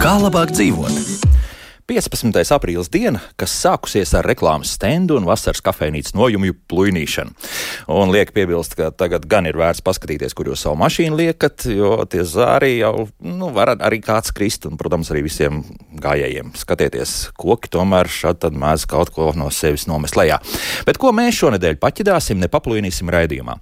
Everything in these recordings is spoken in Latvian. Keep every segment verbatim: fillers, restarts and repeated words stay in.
Kā labāk dzīvot? piecpadsmitais aprīlis diena, kas sākusies ar reklāmas stendu un vasaras kafejnīcas nojumju plujnīšanu. Un liek piebilst, ka tagad gan ir vērts paskatīties, kur jūs savu mašīnu liekat, jo tie zāri jau, nu, var arī kāds krist, un, protams, arī visiem gājējiem. Skatieties, koki tomēr šad tad mēdz kaut ko no sevis nomest lejā. Bet ko mēs šonedēļ paķidāsim, nepaplujnīsim raidījumā?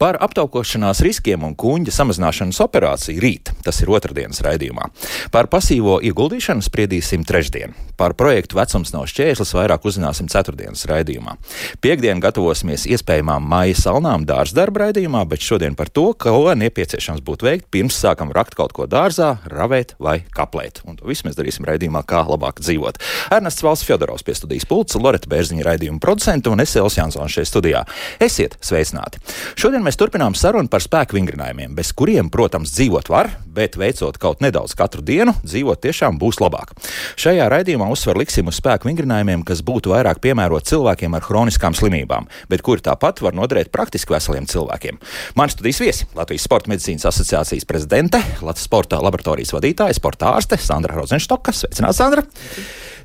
Par aptaukošanās riskiem un kuņģa samazināšanas operāciju rīt, tas ir otrdienas raidījumā. Par pasīvo ieguldīšanu spriedīsim trešdien. Par projektu Vecums nav šķērslis vairāk uzzināsim ceturtdienas raidījumā. Piektdien gatavosimies iespējamām mājas salnām dārzdarba raidījumā, bet šodien par to, ko nepieciešams būtu veikt, pirms sākam rakt kaut ko dārzā, ravēt vai kaplēt. Un to visu mēs darīsim raidījumā, kā labāk dzīvot. Ernests Valsts Fjodorovs pie studijas pults, Loreta Bērziņa raidījuma producenta un es Elvis Jansons šeit studijā. Esiet sveicināti! Šodien mēs turpinām sarunu par spēku vingrinājumiem, bez kuriem, protams, dzīvot var, bet veicot kaut nedaudz katru dienu, dzīvot tiešām būs labāk. Šajā raidījumā uzsver liksim uz spēku vingrinājumiem, kas būtu vairāk piemērot cilvēkiem ar hroniskām slimībām, bet kuri tāpat var noderēt praktiski veseliem cilvēkiem. Mani studijas viesi - Latvijas Sporta medicīnas asociācijas prezidente, Latvijas sporta laboratorijas vadītāja, sporta ārste Sandra Rozenštoka. Sveicināts, Sandra!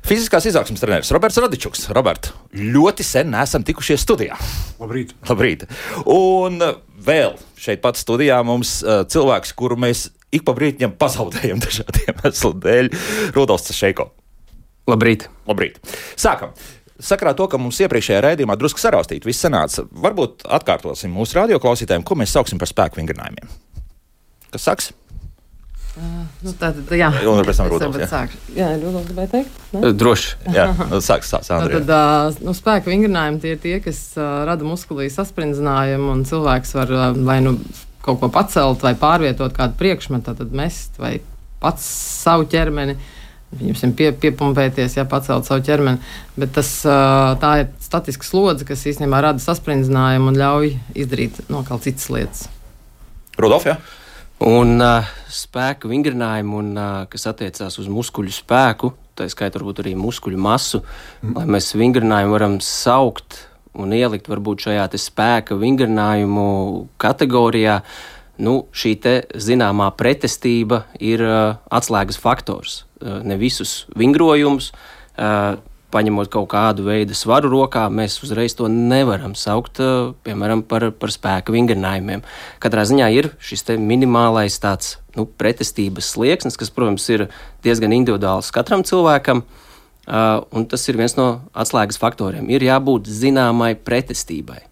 Fiziskās izaugsmes treneris Roberts Radičuks. Robert, ļoti sen neesam tikušies studijā. Labrīt. Labrīt. Un vēl šeit pat studijā mums uh, cilvēks, kuru mēs ik pa brītņam pazaudējam dažādiem iemeslu dēļ, Rudolfs Cašeiko. Labrīt. Labrīt. Sākam. Sakarā to, ka mums iepriekšējā raidījumā drusku saraustīt, viss sanāca. Varbūt atkārtosim mūsu radioklausītājiem, ko mēs sauksim par spēku vingrinājumiem. Kas saks? Uh, nu tā tad, jā. Un pēc tam Rudolfs, jā. Sākšu. Jā, Rudolfs gribēja teikt? Ne? Droši. Jā, sāks, sāks, Andrija. Nu, tad, uh, nu, spēku vingrinājumi tie ir tie, kas uh, rada muskulī sasprindzinājumu, un cilvēks var uh, vai nu kaut ko pacelt, vai pārvietot kādu priekšmetu, tad mest, vai pats savu ķermeni, viņam pie, piepumpēties, jā, pacelt savu ķermeni. Bet tas, tā ir statiska slodze, kas īstenībā rada sasprindzinājumu un ļauj izdarīt nokal citas lietas. Rudolf, jā? Un uh, spēku vingrinājumu, un, uh, kas attiecās uz muskuļu spēku, tā skaitā varbūt arī muskuļu masu, mm. lai mēs vingrinājumu varam saukt un ielikt varbūt šajā te spēka vingrinājumu kategorijā, nu, šī te zināmā pretestība ir uh, atslēgas faktors. Uh, ne visus vingrojumus, uh, paņemot kaut kādu veidu svaru rokā, mēs uzreiz to nevaram saukt, uh, piemēram, par, par spēka vingrinājumiem. Katrā ziņā ir šis te minimālais tāds, nu, pretestības slieksnis, kas, protams, ir diezgan individuāls katram cilvēkam, uh, un tas ir viens no atslēgas faktoriem. Ir jābūt zināmai pretestībai.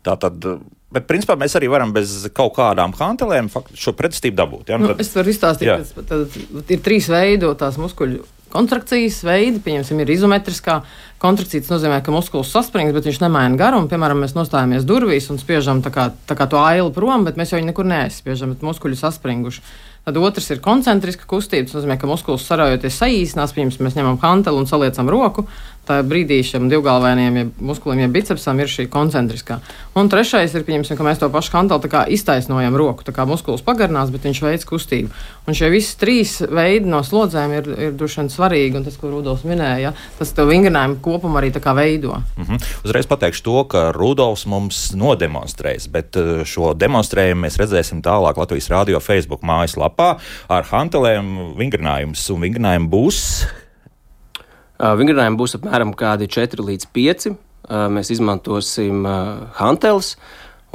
Tātad, bet principā mēs arī varam bez kaut kādām hantelēm šo pretestību dabūt. Ja? Nu, tad, es varu izstāstīt, ka tad ir trīs veidotās muskuļu kontrakcijas veidi. Pieņemsim, ir izometriskā kontrakcija. Tas nozīmē, ka muskulis saspringst, bet viņš nemaina garumu. Piemēram, mēs nostājamies durvīs un spiežam tā kā, tā kā to ailu prom, bet mēs jau viņu nekur neaizspiežam, bet muskuļi saspringuši. Tad otrs ir koncentriska kustība. Tas nozīmē, ka muskulis saraujoties saīsinās. Piemēram, mēs ņemam hanteli un saliecam roku. Tā brīdī šiem divgalvainiem ja muskulim, ja bicepsam ir šī koncentriskā. Un trešais ir, pieņemsim, ka mēs to pašu hanteli tā kā iztaisnojam roku. Tā kā muskulis pagarinās, bet viņš veic kustību. Un šie visi trīs veidi no slodzēm ir, ir droši vien svarīgi. Un tas, ko Rudolfs minēja, ja, tas to vingrinājumu kopumu arī tā kā veido. Mm-hmm. Uzreiz pateikšu to, ka Rudolfs mums nodemonstrēs, bet šo demonstrējumu mēs redzēsim tālāk Latvijas radio Facebook mājaslapā ar hantelēm vingrinājumus. Un vingrinājumu būs... Uh, vingrinājumi būs apmēram kādi četri līdz pieci. Uh, mēs izmantosim uh, hanteles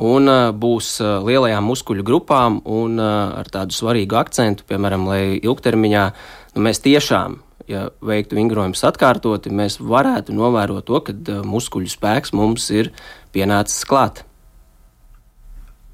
un uh, būs uh, lielajām muskuļu grupām un uh, ar tādu svarīgu akcentu, piemēram, lai ilgtermiņā nu, mēs tiešām, ja veiktu vingrojumus atkārtoti, mēs varētu novērot to, ka uh, muskuļu spēks mums ir pienācis klāt.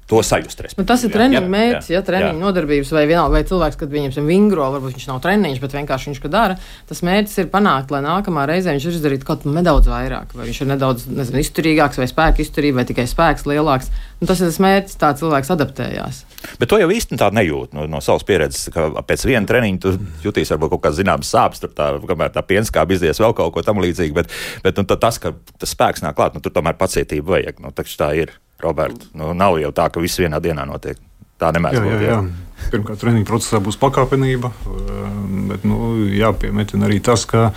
To sajust. Nu, tas ir treniņa mērķis, ja treniņa nodarbības vai vienalga, vai cilvēks, kad viņam vingro, varbūt viņš nav treniņš, bet vienkārši viņš ko dara. Tas mērķis ir panākt, lai nākamā reizē viņš ir izdarīt kaut ko nedaudz vairāk, vai viņš ir nedaudz, nezinu, izturīgāks, vai spēka izturība, vai tikai spēks lielāks. Un tas ir tas mērķis, tā cilvēks adaptējās. Bet to jau īsti tā nejūt no, no savas pieredzes, ka pēc viena treniņa tu jutīs varbūt kaut kāds zināms sāpes, tur tā, kamēr tā pienskāba izdies vēl kaut ko tam līdzīgi, bet, bet nu, tas, ka tas spēks nāk klāt, nu, tur tomēr pacietība vajag, nu, tā ir. Roberta? Nu, nav jau tā, ka viss vienā dienā notiek. Tā nemēdz būt. Jā, jā, jā. Pirmkārt, treniņa procesā būs pakāpenība, bet nu, jāpiemetina arī tas, ka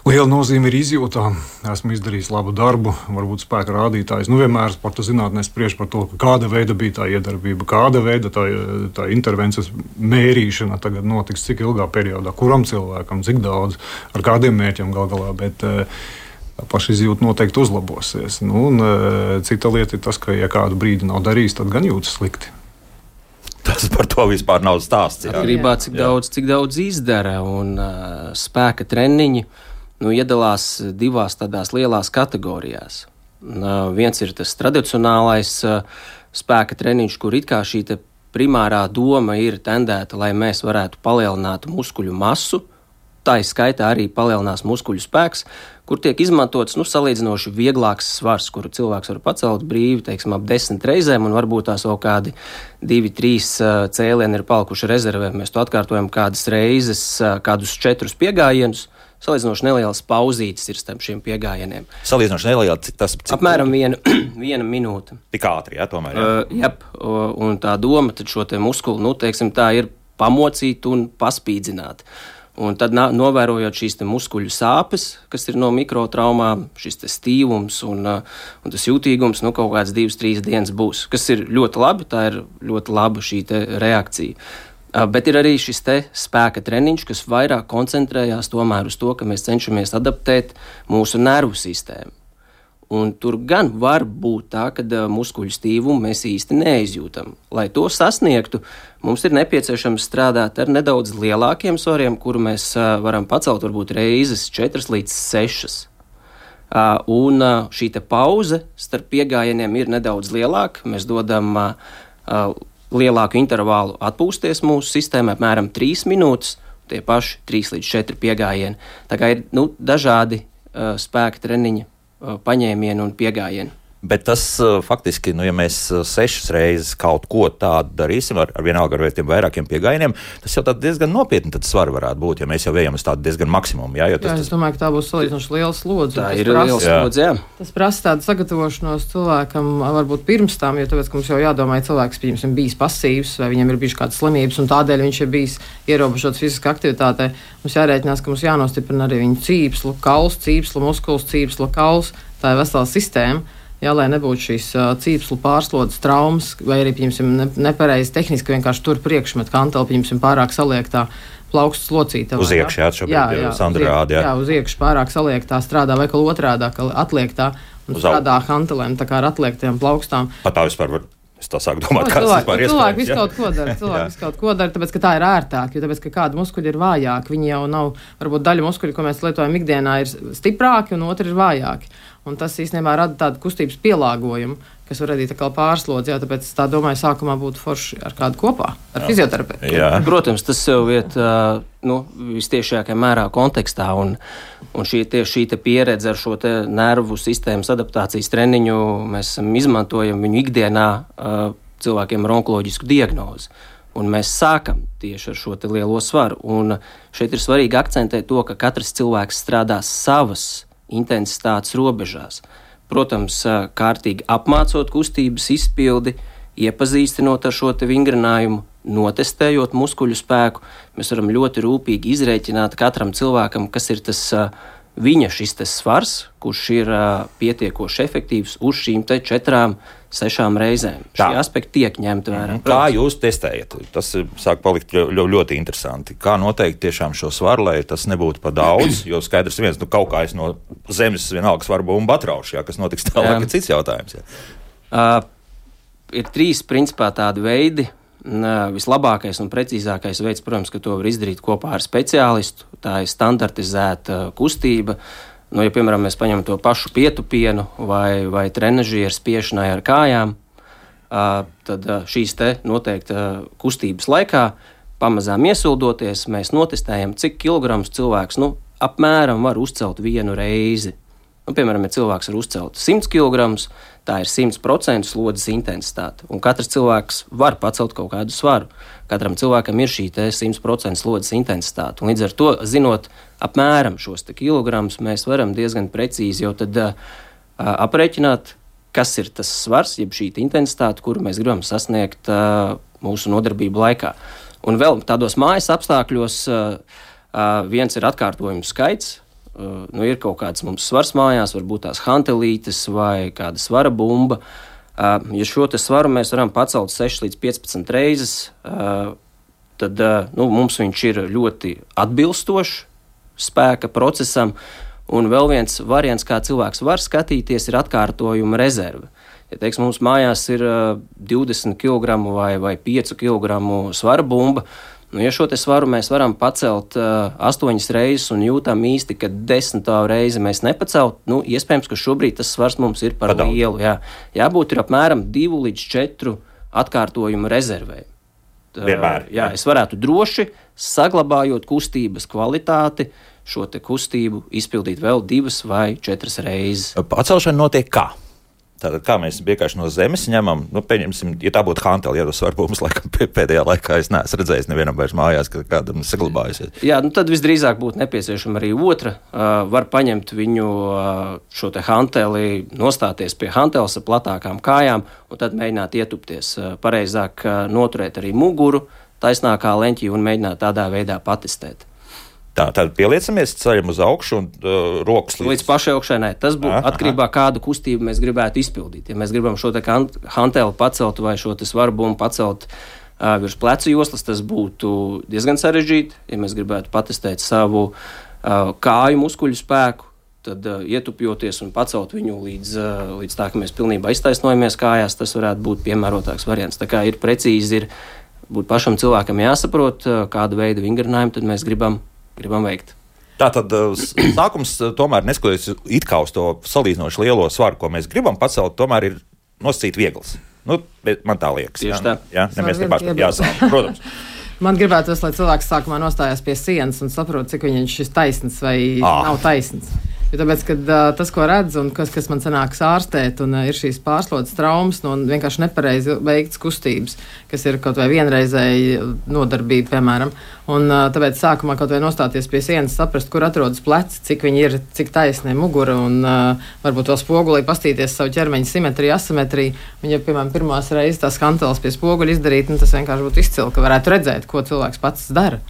liela nozīme ir izjūtām. Esmu izdarījis labu darbu, varbūt spēka rādītājs. Nu, vienmēr sporta zinātnē spriež par to, kāda veida bija tā iedarbība, kāda veida tā, tā intervences mērīšana tagad notiks, cik ilgā periodā, kuram cilvēkam, cik daudz, ar kādiem mērķiem gal galā. Bet, pašizjūta noteikti uzlabosies. Nu, un, cita lieta ir tas, ka, ja kādu brīdi nav darījis, tad gan jūtas slikti. Tas par to vispār nav stāsts. Atkarībā, cik daudz, cik daudz izdara, un uh, spēka treniņi nu, iedalās divās tādās lielās kategorijās. Uh, viens ir tas tradicionālais uh, spēka treniņš, kur it kā šī primārā doma ir tendēta, lai mēs varētu palielināt muskuļu masu. Tā ir skaitā arī palielinās muskuļu spēks, kur tiek izmantots nu, salīdzinoši vieglāks svars, kuru cilvēks var pacelt brīvi, teiksim, ap desmit reizēm, un varbūt tās vēl kādi divi, trīs uh, cēlieni ir palikuši rezervē. Mēs to atkārtojam kādas reizes, uh, kādus četrus piegājienus. Salīdzinoši nelielas pauzītes ir starp šiem piegājieniem. Salīdzinoši neliela, cik tas cik apmēram viena, viena minūte. Tik ātri, jā, tomēr. Jā. Uh, jep, uh, un tā doma tad šo te muskuli, nu, teiksim, tā ir pamocīt un paspīdzināt. Un tad, novērojot šīs muskuļu sāpes, kas ir no mikrotraumām, šis stīvums un, un tas jūtīgums, nu, kaut kāds divas, trīs dienas būs, kas ir ļoti labi, tā ir ļoti laba šī reakcija. Bet ir arī šis spēka treniņš, kas vairāk koncentrējās tomēr uz to, ka mēs cenšamies adaptēt mūsu nervu sistēmu. Un tur gan var būt tā, ka muskuļu stīvumu mēs īsti neizjūtam. Lai to sasniegtu, mums ir nepieciešams strādāt ar nedaudz lielākiem svariem, kuru mēs varam pacelt varbūt reizes četras līdz sešas. Un šī te pauze starp piegājieniem ir nedaudz lielāka. Mēs dodam lielāku intervālu atpūsties mūsu sistēmai, apmēram trīs minūtes, tie paši trīs līdz četri piegājieni. Tā kā ir nu, dažādi spēka treniņi, paņēmienu un piegājienu. Bet tas faktiski, nu, ja mēs sešas reizes kaut ko tādu darīsim, ar, ar vienalga ar tiem vairākiem piegājieniem, tas jau diezgan nopietni tad svari varētu būt, ja mēs jau ejam uz tādu diezgan maksimumu. Jā, jo tas, jā, es domāju, ka tā būs salīdzinoši liela slodze. Tā ir liela slodze, jā. Tas prasa tādu sagatavošanos cilvēkam varbūt pirms tam, jo tāpēc, ka mums jau jādomā, ja cilvēks, piemēram, bijis pasīvs vai viņam ir bijušas kādas slimības un tādēļ viņš ir bijis ierobežots fiziskā aktivitātē, mums jārēķinās, ka mums jānostiprina arī viņa cīpslu, kauls, cīpslu, muskuls, cīpslu, kauls. Tā ir vesela sistēma. Jā, lai nebūtu šīs uh, cīpslu pārslodzes traumas, vai arī, piemēram, ne, nepareizi tehniski vienkārši tur priekšmet kanteli, piemēram, pārāk saliektā plaukstu slocītavā. Uz iekšu, jā, šobrīd Sandra rāda, jā. Jā, uz iekšu pārāk saliektā strādā, vai kā otrādā, ka atliektā un uz strādā kantelēm, tā kā ar atliektajām plaukstām. Pat tā vispār var. Es tā sāku domāt, kāds vispār iespējams. Cilvēki visu kaut ko dara, cilvēki visu kaut ko dara, tāpēc, ka tā ir ērtāk, jo tāpēc, ka kādi muskuļi ir vājāki, viņi jau nav, varbūt daļa muskuļi, ko mēs lietojam ikdienā, ir stiprāki un otri ir vājāki. Un tas īstenībā rada tādu kustības pielāgojumu, kas var radīt atkal pārslodzi, jā, tāpēc tā domāju, sākumā būtu forši ar kādu kopā, ar jā. Fizioterapeitu. Jā. Protams, tas sev iet nu, vistiešākajā mērā kontekstā, un, un šī, tie, šī te pieredze ar šo te nervu sistēmas adaptācijas treniņu mēs izmantojam viņu ikdienā cilvēkiem ar onkoloģisku diagnozi. Un mēs sākam tieši ar šo te lielo svaru. Un šeit ir svarīgi akcentēt to, ka katrs cilvēks strādā savas intensitātes robežās. Protams, kārtīgi apmācot kustības izpildi, iepazīstinot ar šo te vingrinājumu, notestējot muskuļu spēku, mēs varam ļoti rūpīgi izrēķināt katram cilvēkam, kas ir tas viņa šis tas svars, kurš ir pietiekoši efektīvs uz šīm te četrām, sešām reizēm. Tā. Šie aspekti tiek ņemti vērā. Mm-hmm. Kā jūs testējat? Tas sāk palikt ļoti, ļoti interesanti. Kā noteikt tiešām šo svaru, lai tas nebūtu par daudz, jo skaidrs viens, nu kaut kā es no zemes vienalga svaru bumbu atraušu, jā, kas notiks tālāk, ir cits jautājums. Jā. Uh, ir trīs principā tādi veidi. Uh, vislabākais un precīzākais veids, protams, ka to var izdarīt kopā ar speciālistu. Tā ir standartizēta kustība. Nu, ja, piemēram, mēs paņemam to pašu pietupienu vai, vai trenažieru spiešanai ar kājām, uh, tad uh, šīs te noteikti uh, kustības laikā, pamazām iesildoties, mēs notestējam, cik kilograms cilvēks nu, apmēram var uzcelt vienu reizi. Nu, piemēram, ja cilvēks var uzcelt simts kilogramus, tā ir simts procentu slodzes intensitāte. Un katrs cilvēks var pacelt kaut kādu svaru. Katram cilvēkam ir šī simts procentu slodzes intensitāte. Un līdz ar to, zinot apmēram šos kilogramus, mēs varam diezgan precīzi jau tad uh, aprēķināt, kas ir tas svars, jeb šī intensitāte, kuru mēs gribam sasniegt uh, mūsu nodarbību laikā. Un vēl tādos mājas apstākļos uh, uh, viens ir atkārtojumu skaits. Uh, nu, ir kaut kāds mums svars mājās, varbūt tās hantelītes vai kāda svara bumba. Uh, ja šo te svaru mēs varam pacelt seši līdz piecpadsmit reizes, uh, tad uh, nu, mums viņš ir ļoti atbilstošs spēka procesam. Un vēl viens variants, kā cilvēks var skatīties, ir atkārtojuma rezerve. Ja teiks, mums mājās ir uh, divdesmit kilogramu vai, vai pieci kilogramu svara bumba, nu, ja šo te svaru mēs varam pacelt uh, astoņas reizes un jūtam īsti, ka desmitā reizi mēs nepacelt, nu, iespējams, ka šobrīd tas svars mums ir par Padaudz. lielu. Jā. Jābūt ir apmēram divu līdz četru atkārtojumu rezervei. Vienmēr. Jā, es varētu droši, saglabājot kustības kvalitāti, šo te kustību izpildīt vēl divas vai četras reizes. Pacelšana notiek kā? Tātad, kā mēs vienkārši no zemes ņemam, nu, pieņemsim, ja tā būtu hanteli, ja tas varbūt mums laikam pēdējā laikā es neesmu redzējis nevienam vairs mājās, ka kādam saglabājusies. Jā, nu tad visdrīzāk būtu nepieciešama arī otra. Uh, var paņemt viņu uh, šo te hanteli, nostāties pie hanteles ar platākām kājām un tad mēģināt ietupties. Uh, pareizāk uh, noturēt arī muguru taisnākā leņķī un mēģināt tādā veidā patestēt. Tā, tad pieliecamies, ceļam uz augšu un uh, rokas līdz... Līdz pašai augšēnai. Tas būtu aha, atkarībā, kādu kustību mēs gribētu izpildīt. Ja mēs gribam šo te hanteli pacelt vai šo te svaru bumbu pacelt uh, virs plecu joslas, tas būtu diezgan sarežģīti. Ja mēs gribētu patestēt savu uh, kāju muskuļu spēku, tad uh, ietupjoties un pacelt viņu līdz, uh, līdz tā, ka mēs pilnībā iztaisnojamies kājās, tas varētu būt piemērotāks variants. Tā kā ir precīzi, ir būt pašam cilvēkam jāsaprot, uh, kādu veidu vingrinājumu tad mēs gribam gribam veikt. Tātad sākums tomēr neskatoties it kā uz to salīdzinoši lielo svaru, ko mēs gribam pacelt, tomēr ir nosacīt viegls. Nu, man tā liekas. Tieši jā, tā. Jā, ne, mēs nepārspēt jāsāk, protams. Man gribētos, lai cilvēks sākumā nostājās pie sienas un saprot, cik viņš ir taisns vai ah. nav taisns. Jo tāpēc, kad uh, tas, ko redz un kas, kas man sanāks ārstēt, un uh, ir šīs pārslodzes traumas no vienkārši nepareizi veikts kustības, kas ir kaut vai vienreizēji nodarbība, piemēram. Un uh, tāpēc sākumā kaut vai nostāties pie sienas, saprast, kur atrodas pleci, cik viņi ir, cik taisni mugura, un uh, varbūt vēl spogulī pastīties savu ķermeņa simetriju, asimetriju. Un, ja, piemēram, pirmās reizes tās hanteles pie spoguļa izdarīt, nu, tas vienkārši būtu izcili, ka varētu redzēt, ko cilvēks pats dara.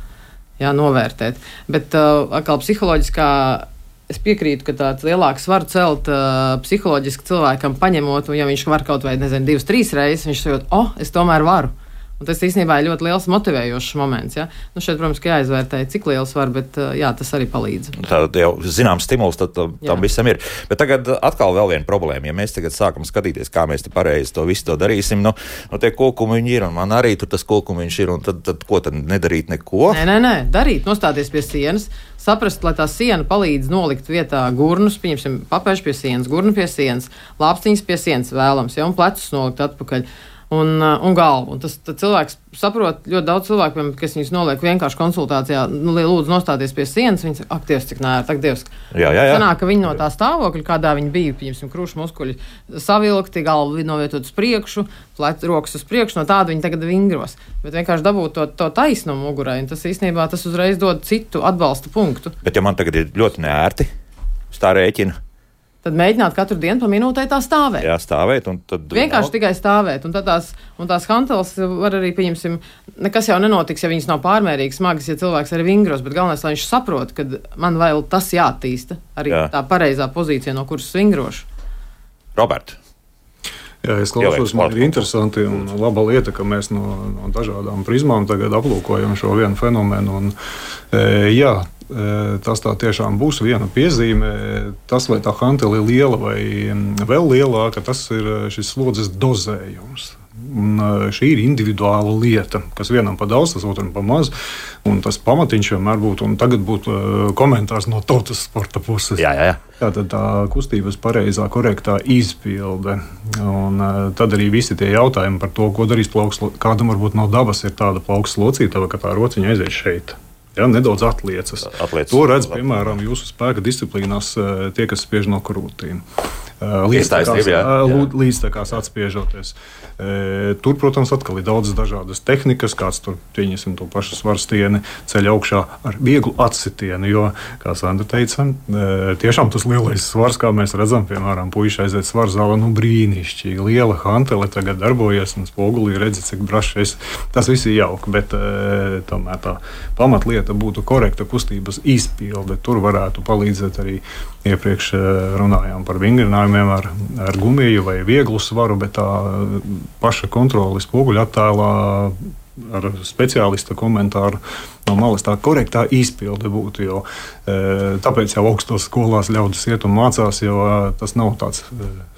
Jā, novērtēt. Bet uh, atkal psiholoģiskā es piekrītu, ka tāds lielāks var celt uh, psiholoģiski cilvēkam paņemot, un ja viņš var kaut vai, nezinu, divas, trīs reizes, viņš sajūt, o, oh, es tomēr varu. Un tas īstenībā ir ļoti liels motivējošs moments. Ja? Nu šeit, protams, ka jāizvērtē, cik liels var, bet jā, tas arī palīdz. Tā jau zināms stimuls tad, tam jā. visam ir. Bet tagad atkal vēl viena problēma. Ja mēs tagad sākam skatīties, kā mēs te pareizi to visu to darīsim, nu, nu tie kokumiņi ir, un man arī tur tas kokumiņš ir, un tad, tad ko tad nedarīt neko? Nē, nē, nē, darīt, nostāties pie sienas, saprast, lai tā siena palīdz nolikt vietā gurnus, pieņemsim, papēžu pie sienas, gurnu pie sienas, lāpstiņas pie sienas vēlams, ja, un plecus nolikt atpakaļ. Un, un galvu. Un tas cilvēks saprot, ļoti daudz cilvēku, kas viņus noliek vienkārši konsultācijā, nu, lūdzu nostāties pie sienas, viņi saka, ak, Dievs, cik nēr, tak, Dievs. Jā, jā, jā. Sanāk, ka viņi no tā stāvokļa, kādā viņi bija, piemēram, krūšu muskuļi savilkti, galvu novietot uz priekšu, plec, rokas uz priekšu, no tāda viņi tagad vingros. Bet vienkārši dabūt to, to taisnumu mugurai, un tas īstenībā tas uzreiz dod citu atbalsta punktu. Bet ja man tagad ir ļoti neērti, tā rēķina, tad mēģināt katru dienu pa minūtei tā stāvēt. Jā, stāvēt. Un tad vienkārši tikai stāvēt. Un, tās, un tās hanteles var arī, pieņemsim, nekas jau nenotiks, ja viņas nav pārmērīgi smagas, ja cilvēks arī vingros, bet galvenais, lai viņš saprot, ka man vēl tas jāattīsta. Arī jā. Tā pareizā pozīcija, no kuras vingrošu. Robert. Jā, es klausos, man ir interesanti un laba lieta, ka mēs no, no dažādām prizmām tagad aplūkojam šo vienu fenomenu. Un, e, jā, tas tā tiešām būs viena piezīme. Tas, vai tā hantele ir liela vai vēl lielāka, tas ir šis slodzes dozējums. Un šī ir individuāla lieta, kas vienam pa daudz, tas otram pa maz. Un tas pamatiņš vienmēr būtu, un tagad būtu komentārs no tautas sporta puses. Jā, jā, jā. Tātad tā kustības pareizā, korektā izpilde. Un tad arī visi tie jautājumi par to, ko darīs plauks, kādam varbūt no dabas ir tāda plauks locītava, ka tā rociņa aiziet šeit. Ja, nedaudz atliecas. Atliecas. To redz, piemēram, jūsu spēka disciplīnās tie, kas spiež no krūtīm. līdztekās, līdztekās atspiežoties. Tur, protams, atkal ir daudzas dažādas tehnikas, kāds tur, pieņemsim, to pašu svarstieni ceļ augšā ar vieglu atsitienu, jo, kā Sandra teica, tiešām tas lielais svars, kā mēs redzam, piemēram, puiši aiziet svaru zālē, nu brīnišķīgi, liela hantele tagad darbojas un spogulī redzi, cik brašs. Tas viss ir jauki, bet tomēr tā pamatlieta būtu korekta kustības izpilde. Tur varētu palīdzēt arī iepriekš runājām par vingrinājumiem ar, ar gumiju vai vieglu svaru, bet tā paša kontrole spoguļu attēlā ar speciālista komentāru no malas tā korektā izpilde būtu, jo tāpēc jau augstos skolās ļaudis iet un mācās, jo tas nav tāds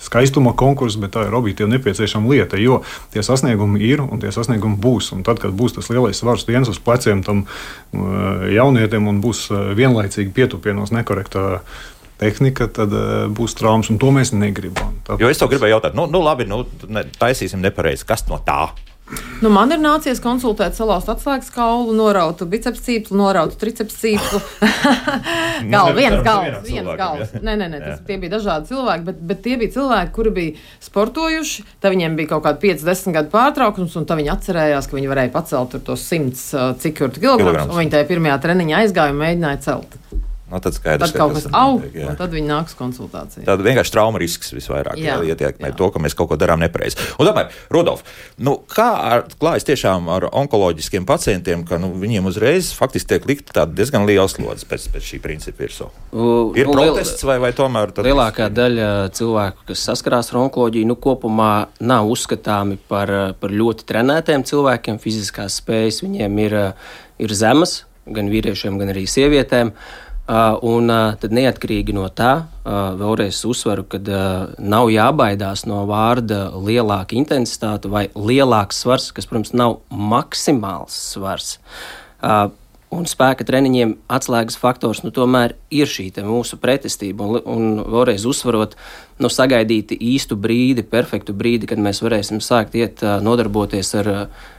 skaistuma konkurss, bet tā ir objektīvi nepieciešama lieta, jo tie sasniegumi ir un tie sasniegumi būs, un tad, kad būs tas lielais svars viens uz pleciem tam jaunietim un būs vienlaicīgi pietupienos nekorektā tehnika, tad uh, būs traumas, un to mēs negribam. Tāpēc... Jo es to gribēju jautāt, nu, nu labi, nu, ne, taisīsim nepareizi, kas no tā? Nu, man ir nācies konsultēt salauzt atslēgas kaulu, norautu biceps cīplu, norautu triceps cīplu. Galva, viens galvs, viens galvs. Nē, nē, nē, tas, tie bija dažādi cilvēki, bet, bet tie bija cilvēki, kuri bija sportojuši, tad viņiem bija kaut kādi pieci desmit gadu pārtraukums, un tad viņi atcerējās, ka viņi varēja pacelt tur tos simts cik tur kilograms, un viņi tajā pirmajā treniņā aizgāja un mēģināja celt. No, tad skaidrs, tad kaut kas aug, un tad viņi nāks konsultācijā. Tad vienkārši trauma risks visvairāk ietekmē to, ka mēs kaut ko darām nepareizi. Un tomēr, Rudolf, nu, kā ar, klājas tiešām ar onkoloģiskiem pacientiem, ka nu, viņiem uzreiz faktiski tiek likta tāda diezgan liela slodze pēc, pēc šī principa virsū? Ir nu, protests vai, vai tomēr? Lielākā daļa cilvēku, kas saskarās ar onkoloģiju, nu, kopumā nav uzskatāmi par, par ļoti trenētiem cilvēkiem. Fiziskās spējas viņiem ir, ir zemas, gan vīriešiem, gan arī sievietēm. Uh, un uh, tad neatkarīgi no tā, uh, vēlreiz uzsveru, ka uh, nav jābaidās no vārda lielāka intensitāte vai lielāks svars, kas, protams, nav maksimāls svars. Uh, un spēka treniņiem atslēgas faktors, nu, tomēr ir šī mūsu pretestība. Un, un vēlreiz uzsvarot, nu, sagaidīt īstu brīdi, perfektu brīdi, kad mēs varēsim sākt iet uh, nodarboties ar,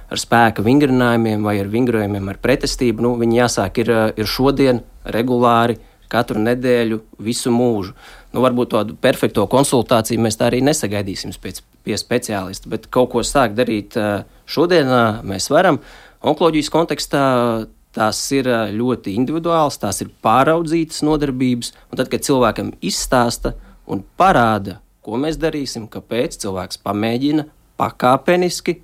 ar spēka vingrinājumiem vai ar vingrojumiem ar pretestību. Nu, viņi jāsāk ir, ir šodien, regulāri, katru nedēļu, visu mūžu. Nu, varbūt tādu perfekto konsultāciju mēs tā arī nesagaidīsim pēc, pie speciālista, bet kaut ko sākt darīt šodien mēs varam. Onkoloģijas kontekstā tās ir ļoti individuāls, tās ir pāraudzītas nodarbības, un tad, kad cilvēkam izstāsta un parāda, ko mēs darīsim, kāpēc cilvēks pamēģina pakāpeniski,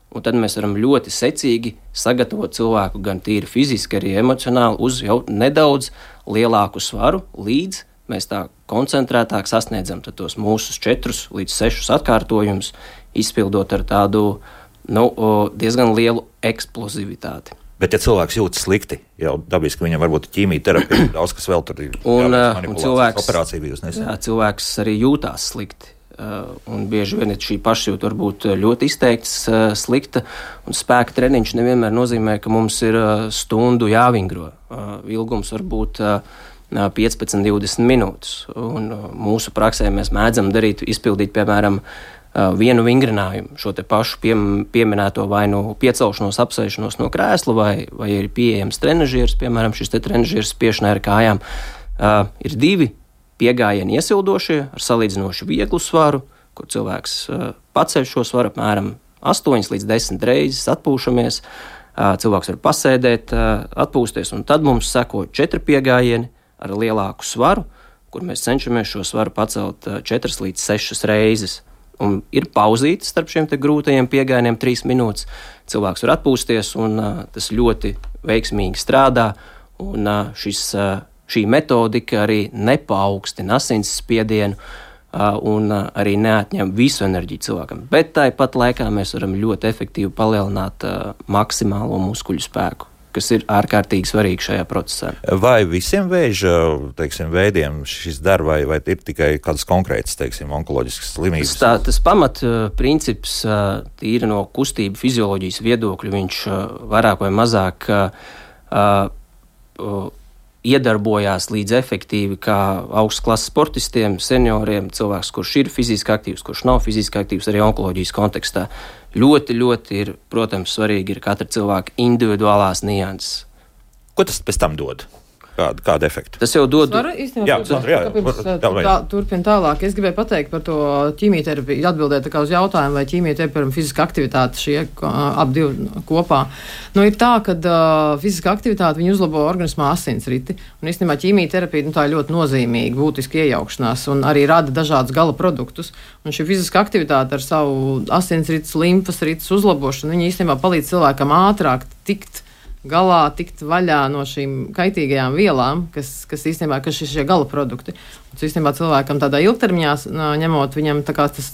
un tad mēs varam ļoti secīgi sagatavot cilvēku gan tīri fiziski, arī emocionāli uz jau nedaudz lielāku svaru, līdz mēs tā koncentrētāk sasniedzam tos mūsu četrus līdz sešus atkārtojumus, izpildot ar tādu nu, diezgan lielu eksplozivitāti. Bet, ja cilvēks jūtas slikti, jau dabiski viņam varbūt ķīmijterapija, daudz kas vēl tur ir un, un cilvēks, operācija bijusi nesen. Jā, cilvēks arī jūtās slikti. Uh, un bieži vien šī pašjūta var būt ļoti izteikts, uh, slikta, un spēka treniņš nevienmēr nozīmē, ka mums ir uh, stundu jāvingro. Uh, ilgums var būt uh, piecpadsmit līdz divdesmit minūtes, un uh, mūsu praksē mēs mēdzam darīt, izpildīt, piemēram, uh, vienu vingrinājumu, šo te pašu pie, pieminēto vai nu piecelšanos, apsēšanos no krēsla, vai, vai ir pieejams trenažieris, piemēram, šis te trenažieris spiešanai ar kājām. Uh, ir divi piegājieni iesildošie ar salīdzinoši vieglu svaru, kur cilvēks uh, paceļ šo svaru apmēram astoņas līdz desmit reizes, atpūšamies, uh, cilvēks var pasēdēt, uh, atpūsties, un tad mums seko četri piegājieni ar lielāku svaru, kur mēs cenšamies šo svaru pacelt uh, četras līdz sešas reizes. Un ir pauzītes starp šiem te grūtajiem piegājieniem trīs minūtes, cilvēks var atpūsties, un uh, tas ļoti veiksmīgi strādā, un uh, šis uh, Šī metodika arī nepaukstina asins spiedienu uh, un uh, arī neatņem visu enerģiju cilvēkam. Bet tāpat laikā mēs varam ļoti efektīvi palielināt uh, maksimālo muskuļu spēku, kas ir ārkārtīgi svarīgi šajā procesā. Vai visiem vēža teiksim, veidiem šis dar, vai, vai ir tikai kādas konkrētas teiksim, onkoloģiskas slimības? Tā, tas pamat uh, princips uh, tīri no kustību fizioloģijas viedokļa, viņš uh, vairāk vai mazāk uh, uh, iedarbojās līdz efektīvi kā augstas klases sportistiem, senioriem, cilvēks, kurš ir fiziski aktīvs, kurš nav fiziski aktīvs arī onkoloģijas kontekstā. Ļoti, ļoti ir, protams, svarīgi ir katra cilvēka individuālās nianses. Ko tas pēc tam dod? Kāda, kāda efekta? Tas jau dod. Varu, īstenībā, Jā, Sandra, jā, jā. pirms, Jā, jā. tā, turpin tālāk. Es gribēju pateikt par to ķīmijterapiju, atbildēt tā kā uz jautājumu, vai ķīmijterapija un fiziska aktivitāte šie ap divi kopā. Nu, ir tā, ka uh, fiziska aktivitāte viņi uzlabo organismā asinsriti, un īstenībā ķīmijterapija nu, tā ir ļoti nozīmīga, būtiska iejaukšanās, un arī rada dažādus gala produktus. Un šī fiziska aktivitāte ar savu asinsrites, limfas rites uzlabošanu, viņi īstenībā palīdz cilvēkam ātrāk tikt galā, tikt vaļā no šīm kaitīgajām vielām, kas, kas īstenībā kas ir šie gala produkti. Un īstenībā cilvēkam tādā ilgtermiņā ņemot, viņam tā kā tas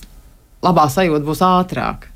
labā sajūta būs ātrāk.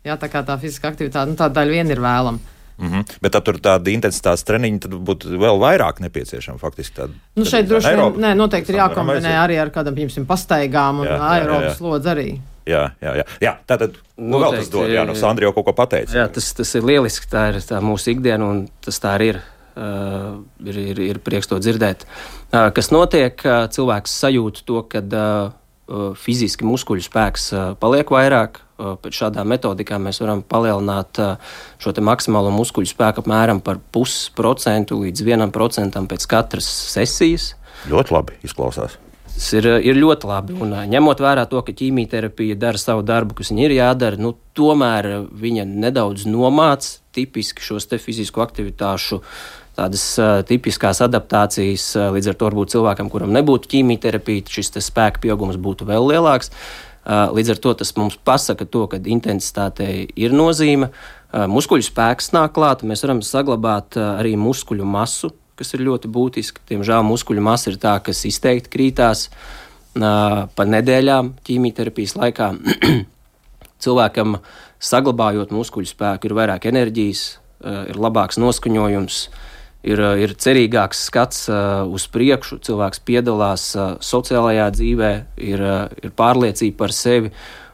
Jā, tā kā tā fiziska aktivitāte, nu tā daļa vien ir vēlama. Mm-hmm. Bet tad tur tāda intensitātes treniņa tad būtu vēl vairāk nepieciešama faktiski tāda. Nu šeit droši vien, nē, noteikti ir jākombinē arī ar kādam, piemēram, pastaigām un aerobas slodzi arī. Jā, jā, jā. jā tātad, nu vēl tas dod, jā, no Sandra jau kaut ko pateica. Jā, tas, tas ir lieliski, tā ir tā mūsu ikdiena, un tas tā arī ir. Uh, ir, ir, ir prieks to dzirdēt. Uh, kas notiek, uh, cilvēks sajūt to, kad uh, fiziski muskuļu spēks uh, paliek vairāk. Uh, pēc šādām metodikām mēs varam palielināt uh, šo te maksimālo muskuļu spēku apmēram par pusprocentu līdz vienam procentam pēc katras sesijas. Ļoti labi izklausās. Tas ir, ir ļoti labi. Un, ņemot vērā to, ka ķīmijterapija dara savu darbu, kas viņa ir jādara, nu, tomēr viņa nedaudz nomāc tipiski šos te fizisko aktivitāšu tādas uh, tipiskās adaptācijas. Uh, līdz ar to varbūt cilvēkam, kuram nebūtu ķīmijterapija, šis te spēka pieaugums būtu vēl lielāks. Uh, līdz ar to tas mums pasaka to, ka intensitātei ir nozīme. Uh, muskuļu spēks nāk klāt, mēs varam saglabāt uh, arī muskuļu masu, kas ir ļoti būtiski. Diemžēl muskuļu masa ir tā, kas izteikti krītās uh, pa nedēļām ķīmijterapijas laikā. Cilvēkam saglabājot muskuļu spēku ir vairāk enerģijas, uh, ir labāks noskaņojums, ir, uh, ir cerīgāks skats uh, uz priekšu, cilvēks piedalās uh, sociālajā dzīvē, ir, uh, ir pārliecība par sevi,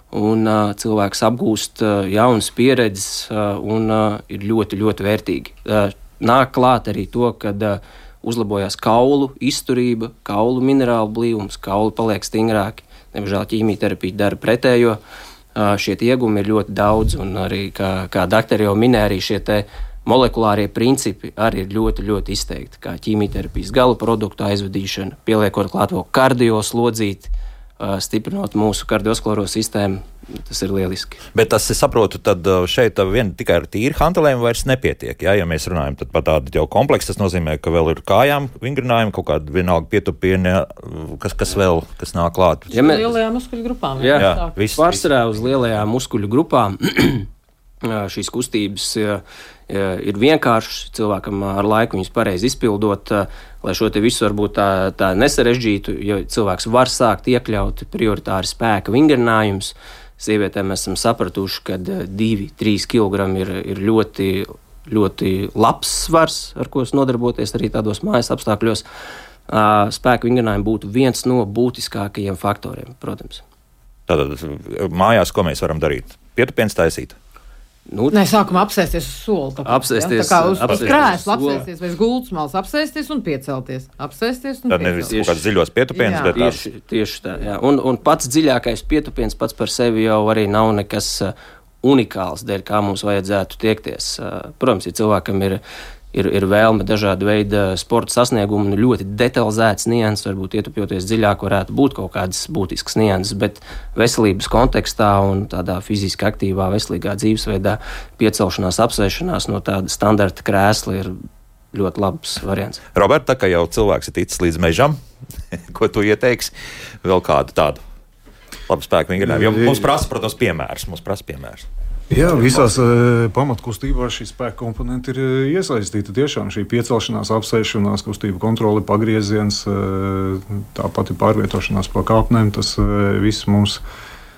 un uh, cilvēks apgūst uh, jaunas pieredzes uh, un uh, ir ļoti, ļoti vērtīgi. Uh, Nāk klāt arī to, kad uh, uzlabojās kaulu izturība, kaulu minerālu blīvums, kauli paliek stingrāki. Diemžēl ķīmijterapija dara pretējo. Uh, šie iegumi ir ļoti daudz, un arī, kā, kā daktari jau minēja, arī šie te molekulārie principi arī ir ļoti, ļoti izteikti. Kā ķīmijterapijas gala produktu aizvadīšana, pieliekot klāt vēl kardioslodzīti, uh, stiprinot mūsu kardiosklerozo sistēmu. Tas ir lieliski. Bet tas, es saprotu, tad šeit vien tikai ar tīri hantelēm vairs nepietiek. Jā? Ja mēs runājam par tādu jau kompleksu, tas nozīmē, ka vēl ir kājām vingrinājumi, kaut kāda vienalga pietupieni, kas, kas vēl, kas nāk klāt. Ja mēs... Lielajām muskuļu grupām. Jā, jā, jā viss. Pārsvarā uz lielajām muskuļu grupām šīs kustības ir vienkāršas, cilvēkam ar laiku viņas pareizi izpildot, lai šo te visu varbūt tā, tā nesarežģītu, jo cilvēks var sākt iekļaut prioritāri spēka vingrinājumus. Sievietēm mēs esam sapratuši, ka divi līdz trīs kilogrami ir, ir ļoti, ļoti labs svars, ar ko nodarboties arī tādos mājas apstākļos. Spēka vingrinājumi būtu viens no būtiskākajiem faktoriem, protams. Tātad mājās, ko mēs varam darīt? Pietupiens taisīt? Nu, Nē, sākumā apsēsties uz soli. Tāpēc, apsēsties, ja? Tā kā uz, apsēsties uz krēsla apsēsties, vai uz gultas malas apsēsties un piecelties. Apsēsties un tad nevis kaut kāds dziļos pietupiens, bet tās... Tieši, tieši tā, jā. Un, un pats dziļākais pietupiens pats par sevi jau arī nav nekas unikāls, dēļ kā mums vajadzētu tiekties. Protams, ja cilvēkam ir, ir, ir vēlme dažādu veidu sporta sasniegumu un ļoti detalizēts nianses, varbūt ietupjoties dziļāk varētu būt kaut kādas būtiskas nianses, bet veselības kontekstā un tādā fiziski aktīvā, veselīgā dzīvesveidā piecelšanās, apsēšanās no tāda standarta krēsla ir ļoti labs variants. Robert, tā kā jau cilvēks ir ticis līdz mežam, ko tu ieteiksi? Vēl kādu tādu labu spēku vingrinājumu? Jo mums prasa, protams, piemērs. Mums prasa piemērs. Jā, visās uh, pamatkustībās šī spēka komponenti ir uh, iesaistīta. Tiešām šī piecelšanās, apsēšanās, kustība kontrole, pagrieziens, uh, tāpat ir pārvietošanās pa kāpnēm. Tas uh, viss mums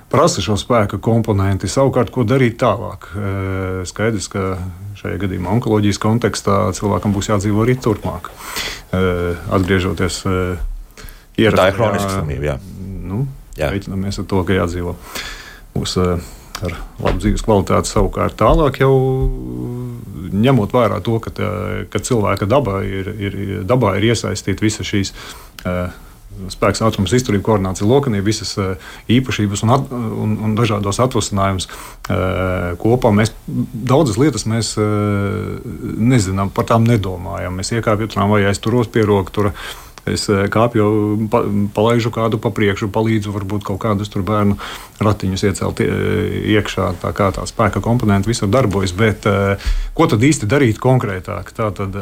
prasa šo spēka komponenti. Savukārt, ko darīt tālāk? Uh, skaidrs, ka šajā gadījumā onkoloģijas kontekstā cilvēkam būs jādzīvo arī turpmāk. Uh, atgriežoties uh, ierastā. Tā ir hroniska slimība, jā. Nu, reiķinamies ar to, ka jādzīvo mūs uh, ar labu dzīves kvalitāti. Savukārt tālāk jau ņemot vērā to, ka, tā, ka cilvēka dabā ir, ir, dabā ir iesaistīta visa šīs uh, spēks, ātrums, izturība, koordinācija, lokanība, visas īpašības un, at, un, un dažādos atvasinājumus kopā. Mēs daudzas lietas mēs nezinām, par tām nedomājam. Mēs iekāpjam tramvajā, es turos pie roka, tur es kāpju, pa, palaižu kādu pa priekšu, palīdzu varbūt kaut kādus tur bērnu ratiņus iecelt iekšā, tā kā tā spēka komponenti visur darbojas, bet ko tad īsti darīt konkrētāk? Tā tad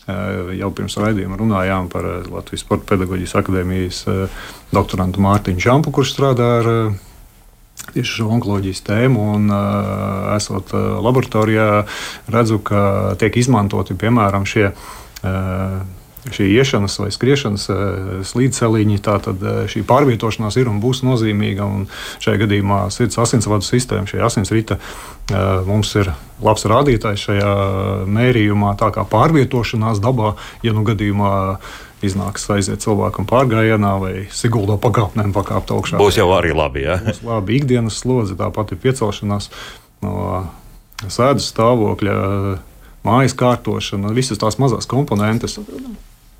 jau pirms raidījuma runājām par Latvijas Sporta pedagoģijas akadēmijas doktorantu Mārtiņu Čampu, kurš strādā ar tieši šo onkoloģijas tēmu, un esot laboratorijā redzu, ka tiek izmantoti, piemēram, šie šī iešanas vai skriešanas slīdceliņi, tātad šī pārvietošanās ir un būs nozīmīga, un šajā gadījumā sirds asinsvadu sistēma, šī asinsrita mums ir labs rādītājs šajā mērījumā, tā kā pārvietošanās dabā, ja nu gadījumā iznāks aiziet cilvēkam pārgājienā vai Siguldo pakāpnēm pakāpt augšā. Būs jau arī labi, jā. Būs labi ikdienas slodze, tāpat ir piecelšanās no sēdas stāvokļa, mājas kārtošana, visas tās mazās komponentes.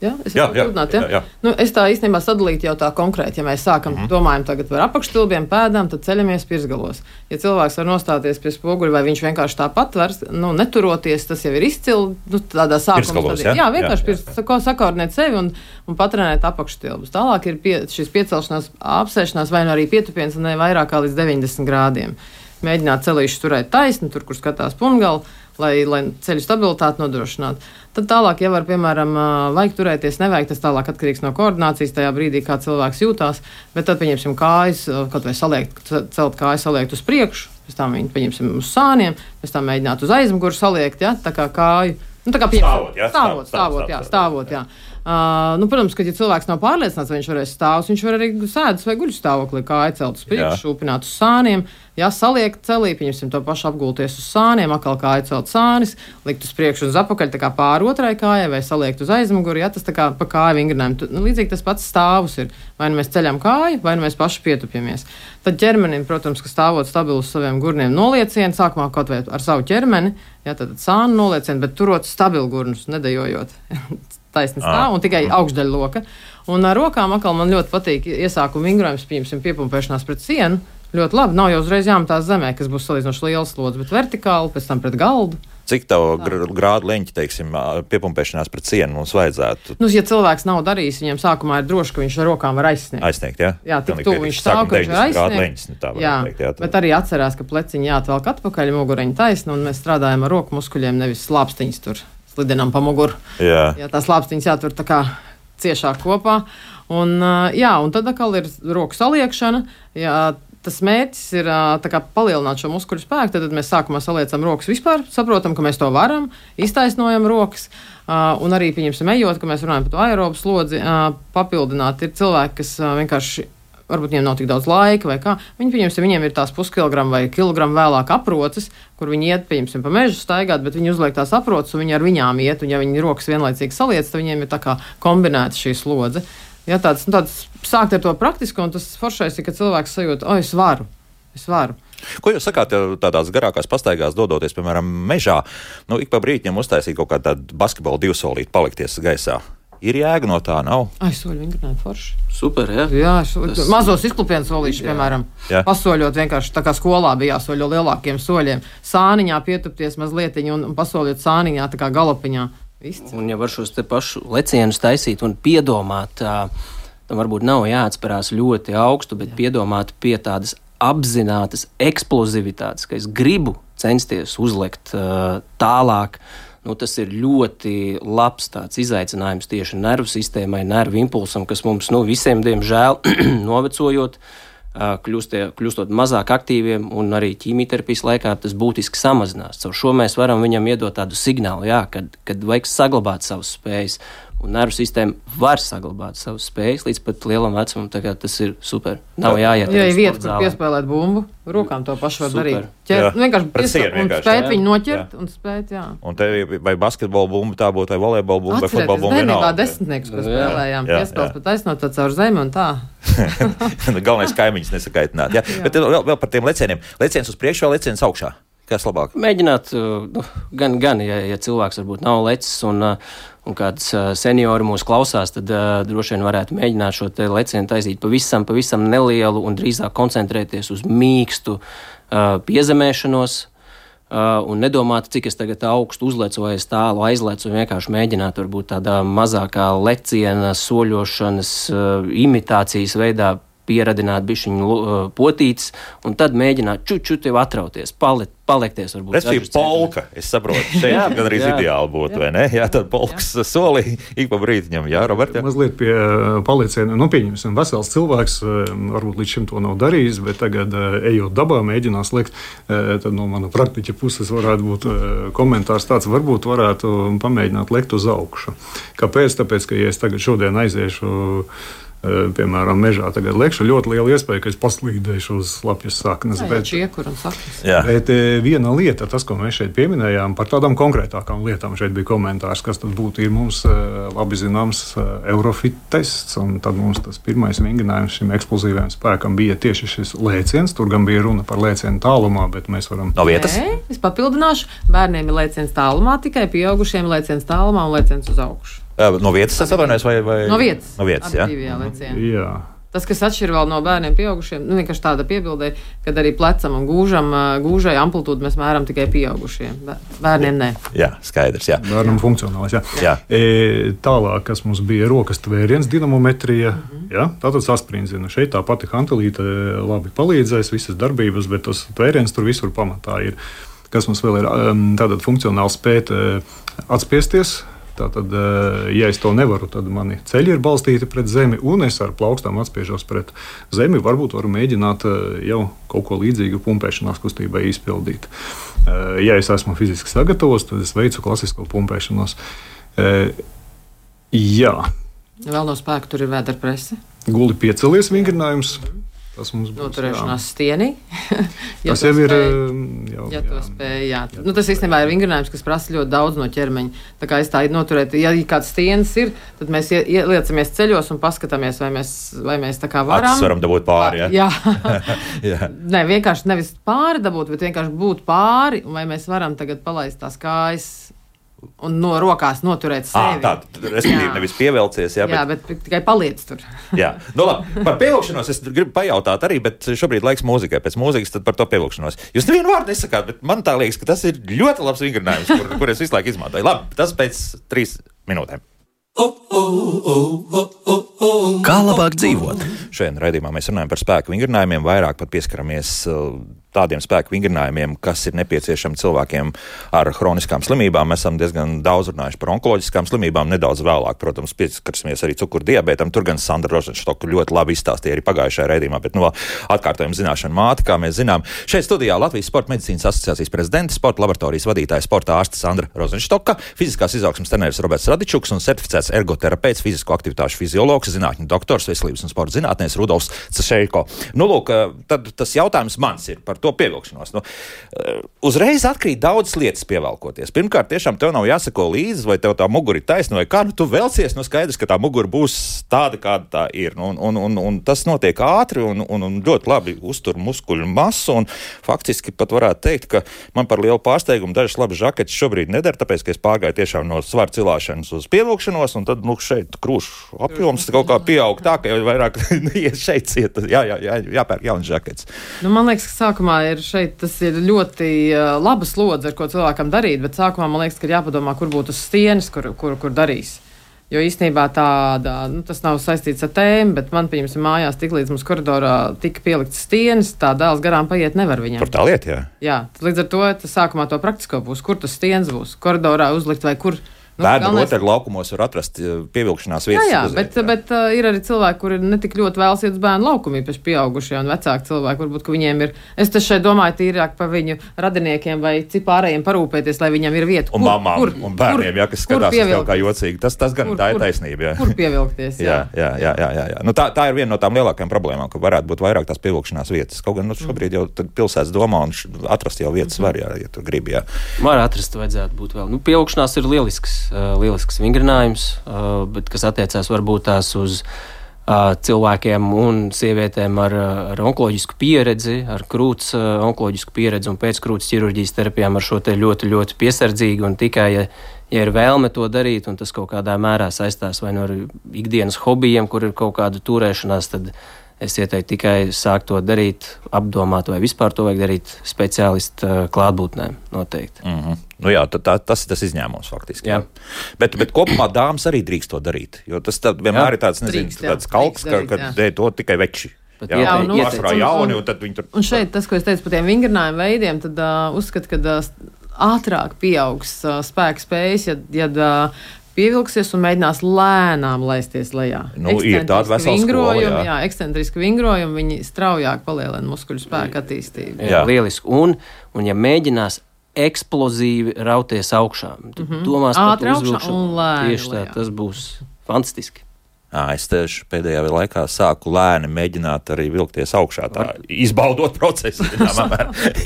Ja? Es, jā, jā, runāt, ja? jā, jā. Nu, es tā īstenībā sadalītu jau tā konkrēti. Ja mēs sākam mm-hmm. domājam tagad par apakštilbiem, pēdām, tad ceļamies pirzgalos. Ja cilvēks var nostāties pie spoguļa, vai viņš vienkārši tāpat var, nu, neturoties, tas jau ir izcili, nu, tādā sākumā. Jā, jā, vienkārši jā, jā. Pirs, sakoordinēt sevi un, un patrenēt apakštilbus. Tālāk ir pie, šis piecelšanās, apsēšanās vai nu arī pietupiens ne vairāk kā līdz deviņdesmit grādiem. Mēģināt celīšu turēt taisni, tur, kur skatās pungali, lai, lai ceļu stabilitāti nodrošinātu. Tad tālāk, ja var, piemēram, vajag turēties, nevajag, tas tālāk atkarīgs no koordinācijas tajā brīdī, kā cilvēks jūtās, bet tad, pieņemsim, kājas, kaut vai saliekt, celt kājas saliekt uz priekšu, pēc tam viņi, pieņemsim, uz sāniem, pēc tam mēģināt uz aizmuguru saliekt, ja, tā kā kāju, nu, tā kā pieņemsim, stāvot, jā, stāvot, stāvot, jā, stāvot, jā. Uh, nu, protams, ka, ja cilvēks nav pārliecināts, vai viņš varēs stāvus, viņš var arī sēdus vai guļu stāvoklī, kāju celt uz priekšu, šūpināt uz sāniem, jā, saliekt celī, pieņemsim to pašu apgulties uz sāniem, atkal kāju celt sānis, likt uz priekšu un uz apakaļ, tā kā pāri otrai kājai, vai saliekt uz aizmuguri, jā, tas tā kā pa kāju vingrinājumu. Nu, līdzīgi tas pats stāvus ir. Vai nu mēs ceļam kāju, vai nu mēs paši pietupjamies. Tad ķermenim, protams, ka stāvot stabilu uz saviem gurniem noliecienu, sākumā kaut vai ar savu ķermeni, jā, tad sānu noliecienu, bet turot stabilu gurnus, nedejojot. Taisni stāv un tikai augšdaļa loka. Un ar rokām atkal man ļoti patīk iesākuma vingrojums, pieņemsim, piepumpēšanās pret sienu. Ļoti labi, nav jau uzreiz jāmetās zemē, kas būs salīdzinoši liels slodzi, bet vertikāli, pēc tam pret galdu. Cik tavu gr grādu leņķi, teiksim, piepumpēšanās pret sienu mums vajadzētu? Nu, ja cilvēks nav darījis, viņam sākumā ir droši, ka viņš ar rokām var aizsniegt. Aizsniegt, jā? Jā, tik tuvu viņš stāv, ka viņš var aizsniegt. Leņķis, tā jā, teikt, jā, bet arī atcerās, ka pleciņi jāatvelk atpakaļ, mugureņi taisni, un mēs strādājam ar roku muskuļiem, nevis slāpstiņas tur slidinām pa muguru. Jā. Jā, tās slāpstiņas jātur tā kā ciešāk kopā. Un, jā, un tad atkal ir roku saliekšana. Jā, tas mērķis ir tā kā palielināt šo muskuļu spēku. Tad mēs sākumā saliecam rokas vispār, saprotam, ka mēs to varam, iztaisnojam rokas. Un arī, pieņemsim, ejot, ka mēs runājam par to aerobu slodzi, papildināt. Ir cilvēki, kas vienkārši varbūt viņiem nav tik daudz laika vai kā. Viņi, pieņemsim, viņiem ir tās puskilogramu vai kilogramu vēlāk aproces, kur viņi iet, pieņemsim, pa mežu staigāt, bet viņi uzliek tās aproces un viņi ar viņām iet, un ja viņi rokas vienlaicīgi saliec, tad viņiem ir tā kā kombinēta šī slodze. Ja tāds, nu, tāds sākt ar to praktisko, un tas foršais ir, ka cilvēks sajūt, o, es varu, es varu. Ko jūs sakāt tādās garākās pastaigās dodoties, piemēram, mežā? Nu, ik pa brītņam uztaisīt kaut kādu tādu basketbolu divsolīti, palikties gaisā. Ir jēga no tā, nav? Ai, soļi vingrināt forši. Super, jā. Jā, šo, Tas... mazos izklupienu solīšus, piemēram, jā. Pasoļot vienkārši tā kā skolā bija jāsoļo lielākiem soļiem. Sāniņā pietupties mazlietiņu un, un pasoļot sāniņā tā kā galopiņā. Izcil. Un ja var šos te pašu lecienus taisīt un piedomāt, tam varbūt nav jāatspērās ļoti augstu, bet jā. Piedomāt pie tādas apzinātas eksplozivitātes, ka es gribu censties uzlikt tālāk. Nu, tas ir ļoti labs tāds izaicinājums tieši nervu sistēmai, nervu impulsam, kas mums nu, visiem, diemžēl, novecojot, kļūst, kļūstot mazāk aktīviem, un arī ķīmijterapijas laikā tas būtiski samazinās. Caur šo mēs varam viņam iedot tādu signālu, jā, kad, kad vajag saglabāt savas spējas. Un nervu sistēma var saglabāt savas spējas līdz pat lielam vecumam, tā kā tas ir super. Nav jāiet. Ja ir vieta, kur piespēlēt bumbu, rokām to pašu var super. Darīt. Ķer, vienkārši piespēlēt un spēt viņu noķert jā. Un spēt, jā. Un te vai basketbola bumba tā būtu, vai volejbola bumba, vai futbola bumba vienalga. Atcerieties, desmitnieks, ko spēlējām, piespēles pat aizsnot tā caur zemi un tā. Galvenais kaimiņus nesakaitināt, jā. jā. Bet vēl, vēl par tiem lecieniem. Leciens uz priekšu vai leciens augšā? Kas labāk? Mēģināt, nu, gan, gan ja, ja cilvēks varbūt nav lecis un, un kāds seniori mūs klausās, tad uh, droši vien varētu mēģināt šo te lecienu taisīt pavisam, pavisam nelielu un drīzāk koncentrēties uz mīkstu uh, piezemēšanos. Uh, un nedomāt, cik es tagad augstu uzlecu vai es tālu aizlecu, un vienkārši mēģināt varbūt tādā mazākā leciena, soļošanas, uh, imitācijas veidā pieradināt bišķiņu uh, potītes, un tad mēģināt čuču tev atrauties, pali, paliekties varbūt. Tas ir polka, es saprotu, šeit jā, gan arī jā. Ideāli būtu, jā. Vai ne? Jā, tad polkas jā. Solī ik pa brītiņam, jā, Robert? Jā? Mazliet pie palieciena, nu pieņemsim, vesels cilvēks, varbūt līdz šim to nav darījis, bet tagad, ejot dabā, mēģinās lekt, tad no mana praktiķa puses varētu būt komentārs tāds, varbūt varētu pamēģināt lekt uz augšu. Kāpēc? Tāpēc, ka ja es tagad šodien aiziešu piemēram, mežā tagad lekšu, ļoti liela iespēja, ka es paslīdēšu uz lapjas saknes. Jā, bet, čiekur un saknes. Bet viena lieta, tas, ko mēs šeit pieminējām, par tādām konkrētākām lietām, šeit bija komentārs, kas tad būtu, ir mums labi zināms Eurofit tests, un tad mums tas pirmais vingrinājums šim eksplozīvajam spēkam bija tieši šis lēciens, tur gan bija runa par lēcienu tālumā, bet mēs varam... No vietas? Nē, es papildināšu, bērniem ir lēciens tālumā, tikai pieaugušiem lēciens tālumā un lēciens uz augšu. No vietas es atvainojos vai, vai... No vietas. No vietas, jā. jā. jā. Tas, kas atšķir vēl no bērniem pieaugušiem, nu vienkārši tāda piebildē, kad arī plecam un gūžam, gūžai amplitūdu mēs mēram tikai pieaugušiem. Bērniem nē. Jā, skaidrs, jā. Bērnam funkcionāls, jā. jā. E, tālāk, kas mums bija rokas tvēriens, dinamometrija, mm-hmm. jā, tātad sasprindzina. Šeit tā pati hantelīte labi palīdzēs, visas darbības, bet tas tvēriens tur visur pamatā ir. Kas mums vēl ir, tātad funkcionāli spēt atspiesties. Tātad, ja es to nevaru, tad mani ceļi ir balstīti pret zemi, un es ar plaukstām atspiežos pret zemi. Varbūt varu mēģināt jau kaut ko līdzīgu pumpēšanās kustībai izpildīt. Ja es esmu fiziski sagatavos, tad es veicu klasisko pumpēšanos. Jā. Vēl no spēka tur ir vēderprese. Guli piecelies vingrinājums. Tas mums būs noturēšanās stienī. ja tas jau ir. Jau, ja to spēj, jā. jā. Nu, tas īstenībā ir vingrinājums, kas prasa ļoti daudz no ķermeņa. Tā kā es tā noturētu, ja kāds stienis ir, tad mēs ieliecamies ceļos un paskatāmies, vai mēs, vai mēs tā kā varam. Acis varam dabūt pāri, jā. jā. jā. Nē, vienkārši nevis pāri dabūt, bet vienkārši būt pāri, un vai mēs varam tagad palaist tās kājas un no rokās noturēt sevi. À, tā, respektīvi, nevis pievelcies. Jā, jā bet, bet tikai paliec tur. jā, nu labi. Par pievilkšanos es gribu pajautāt arī, bet šobrīd laiks mūzikai. Pēc mūzikas tad par to pievilkšanos. Jūs nevienu vārdu nesakāt, bet man tā liekas, ka tas ir ļoti labs vingrinājums, kur, kur es visu laiku izmantoju. Labi, tas pēc trīs minūtēm. Kā labāk dzīvot? Šodien raidījumā mēs runājam par spēku vingrinājumiem, vairāk pat pieskaramies tādiem spēku vingrinājumiem, kas ir nepieciešami cilvēkiem ar hroniskām slimībām. Mēs esam diezgan daudz runājuši par onkoloģiskām slimībām, nedaudz vēlāk, protams, pieskarsimies arī cukurdijabētam. Tur gan Sandra Rozenštoka ļoti labi izstāstīja arī pagājušajā raidījumā, bet no atkārtojuma zināšanu māte, kā mēs zinām. Šeit studijā Latvijas Sporta medicīnas asociācijas prezidents, sporta laboratorijas vadītāja, sporta ārste Sandra Rozenštoka, fiziskās izaugsmes treneris Roberts Radičuks un certificēts ergoterapeits, fizisko aktivitāšu fiziologs, zinātņu doktors, veselības un sporta zinātnēs Rudolfs Cašeiko. Nu, lūk, tad tas jautājums mans ir par to pievilkšanos. Nu, uzreiz atkrīt daudzas lietas pievelkoties. Pirmkārt, tiešām tev nav jāsako līdzi, vai tev tā mugura ir taisna, vai kā, nu tu velcies, nu skaidrs, ka tā mugura būs tāda, kāda tā ir. Nu, un, un, un tas notiek ātri un, un, un ļoti labi uztur muskuļu masu, un faktiski pat varētu teikt, ka man par lielu pārsteigumu dažas labas žaketes šobrīd nedara, tāpēc, ka es pārgāju tiešām no svara cilāšanas uz pievilkšanos, un tad, nu, šeit krūšu apjoms kaut kā pieaug tā, ka jau vairāk šeit ciet, jā, jā, jā, jāpērk jaunas žaketes. Nu, man liekas, ka sākumā ir šeit, tas ir ļoti uh, laba slodze, ar ko cilvēkam darīt, bet sākumā man liekas, ka ir jāpadomā, kur būtu stienis, kur, kur, kur darīs. Jo īstenībā tāda, nu, tas nav saistīts ar tēmu, bet man, pieņemsim, mājās tik līdz mums koridorā tika pielikts stienis, tā dēls garām paiet nevar viņam. Par tā lieta, jā. Jā, līdz ar to tas sākumā to praktisko būs, kur tas stienis būs, koridorā uzlikt vai kur. Nu, Bērnu rotaļu laukumos var atrast pievilkšanās vietas. Jā, jā bet, jā. bet uh, ir arī cilvēki, kuri netik ļoti vēlas iet uz bērnu laukumu, īpaši pieaugušie un vecāki cilvēki. Varbūt, ka viņiem ir, es te šeit domāju, tīrāk par viņu radiniekiem vai cipārējiem parūpēties, lai viņam ir vieta. Un mamām, kur, un bērniem, jā, kas skatās uz tev kā jocīgi. Tas, tas gan kur, tā ir kur, taisnība, jā. Kur pievilkties, jā. jā, jā, jā, jā, jā. Nu, tā, tā ir viena no tām lielākajām problēmām, ka varētu būt vairāk tās pievilkšanās vietas. Kaut gan nu, šobrīd jau pilsētas domā un atrast jau vietas var, jā, ja tu gribi, jā. Var atrast, vajadzētu būt vēl. Nu, pievilkšanās ir lielisks, uh, lielisks vingrinājums, uh, bet kas attiecās varbūt tās uz cilvēkiem un sievietēm ar, ar onkoloģisku pieredzi, ar krūts onkoloģisku pieredzi un pēckrūts ķirurģijas terapijām ar šo te ļoti, ļoti piesardzīgi un tikai, ja, ja ir vēlme to darīt un tas kaut kādā mērā saistās vai no ar ikdienas hobijiem, kur ir kaut kāda turēšanās, tad es ieteiktu tikai sākt to darīt, apdomāt, vai vispār to vajag darīt speciālistu klātbūtnē noteikti. Mm-hmm. Nu jā, tā, tā, tas ir tas izņēmums faktiski. Jā. Jā. Bet, bet kopumā dāmas arī drīkst to darīt, jo tas vienmēr jā. ir tāds, nezinu, drīkst, tāds kalks, ka, ka dēļ to tikai veči. Jā, jā, un, pārsvarā jauni, un tad viņi tur... Un šeit tas, ko es teicu par tiem vingrinājumu veidiem, tad uh, uzskat, ka uh, ātrāk pieaugs uh, spēka spējas, ja, ja uh, pievilksies un mēģinās lēnām laisties lejā. Nu, ir tāda vesela skola, jā. jā, ekscentriski vingrojumi, viņi straujāk palielina muskuļu spēku attīstību. Jā, jā. Lieliski. Un, un ja mēģinās eksplozīvi rauties augšā, tu mm-hmm. domās par to uzvilkšanu. Un lēni tieši tā, tas būs fantastiski. Jā, es tieši pēdējā laikā sāku lēni mēģināt arī vilkties augšā, tā izbaudot procesu.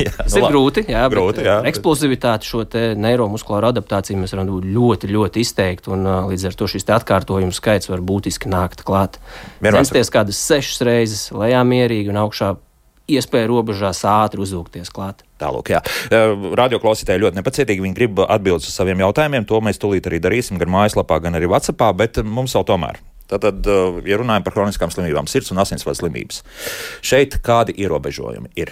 jā, tas nu, ir grūti, jā, grūti, jā. Eksplozivitāti šo te neiromuskulāru adaptāciju mēs varam būt ļoti, ļoti izteikti, un uh, līdz ar to šis te atkārtojumu skaits var būtiski nākt klāt. Censties kādas sešas reizes lejā mierīgi un augšā iespēja robežās ātri uzvilkties klāt. Tālūk, jā. Radioklausītāji ļoti nepacietīgi, viņi grib atbildes uz saviem jautājumiem, to mēs tūlīt arī darīsim gan mājaslapā, gan arī WhatsAppā, bet mums vēl tomēr. Tātad, ja runājam par kroniskām slimībām, sirds un asinsvadu slimības, šeit kādi ierobežojumi ir?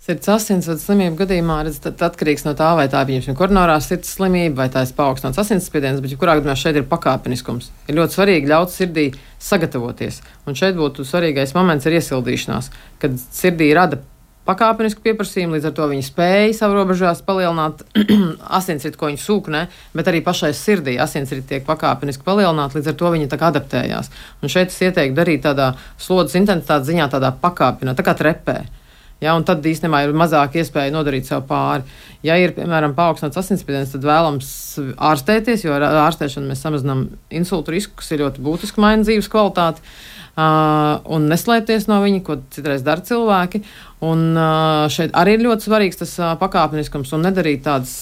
Sirds asinsvadu slimību gadījumā redz, tad atkarīgs no tā, vai tā ir koronārā sirds slimība, vai tā ir paaugstināts asinsspiediens, bet kurā gadījumā šeit ir pakāpeniskums. Ir ļoti svarīgi ļaut sirdī sagatavoties, un šeit būtu svarīgais moments ir iesildīšanās, kad sirdī rada pakāpenisku pieprasījumu, līdz ar to viņi spēja savu robežās palielināt asinsritu, ko viņi sūknē, bet arī pašai sirdī asinsriti tiek pakāpeniski palielināti, līdz ar to viņi tā kā adaptējās. Un šeit es ieteiktu darīt tādā slodzes intensitātes ziņā, tādā pakāpinā, tā kā trepē. Ja, un tad īstenībā ir mazāk iespēja nodarīt sev pāri. Ja ir, piemēram, paaugstināts asinsspiediens, tad vēlams ārstēties, jo ar ārstēšanu mēs samazinām insultu risku, kas ir ļoti būtiski maina dzīves kvalitāti. Uh, un neslēpties no viņa, ko citreiz dara cilvēki. Un uh, šeit arī ir ļoti svarīgs tas uh, pakāpeniskums un nedarīt tādas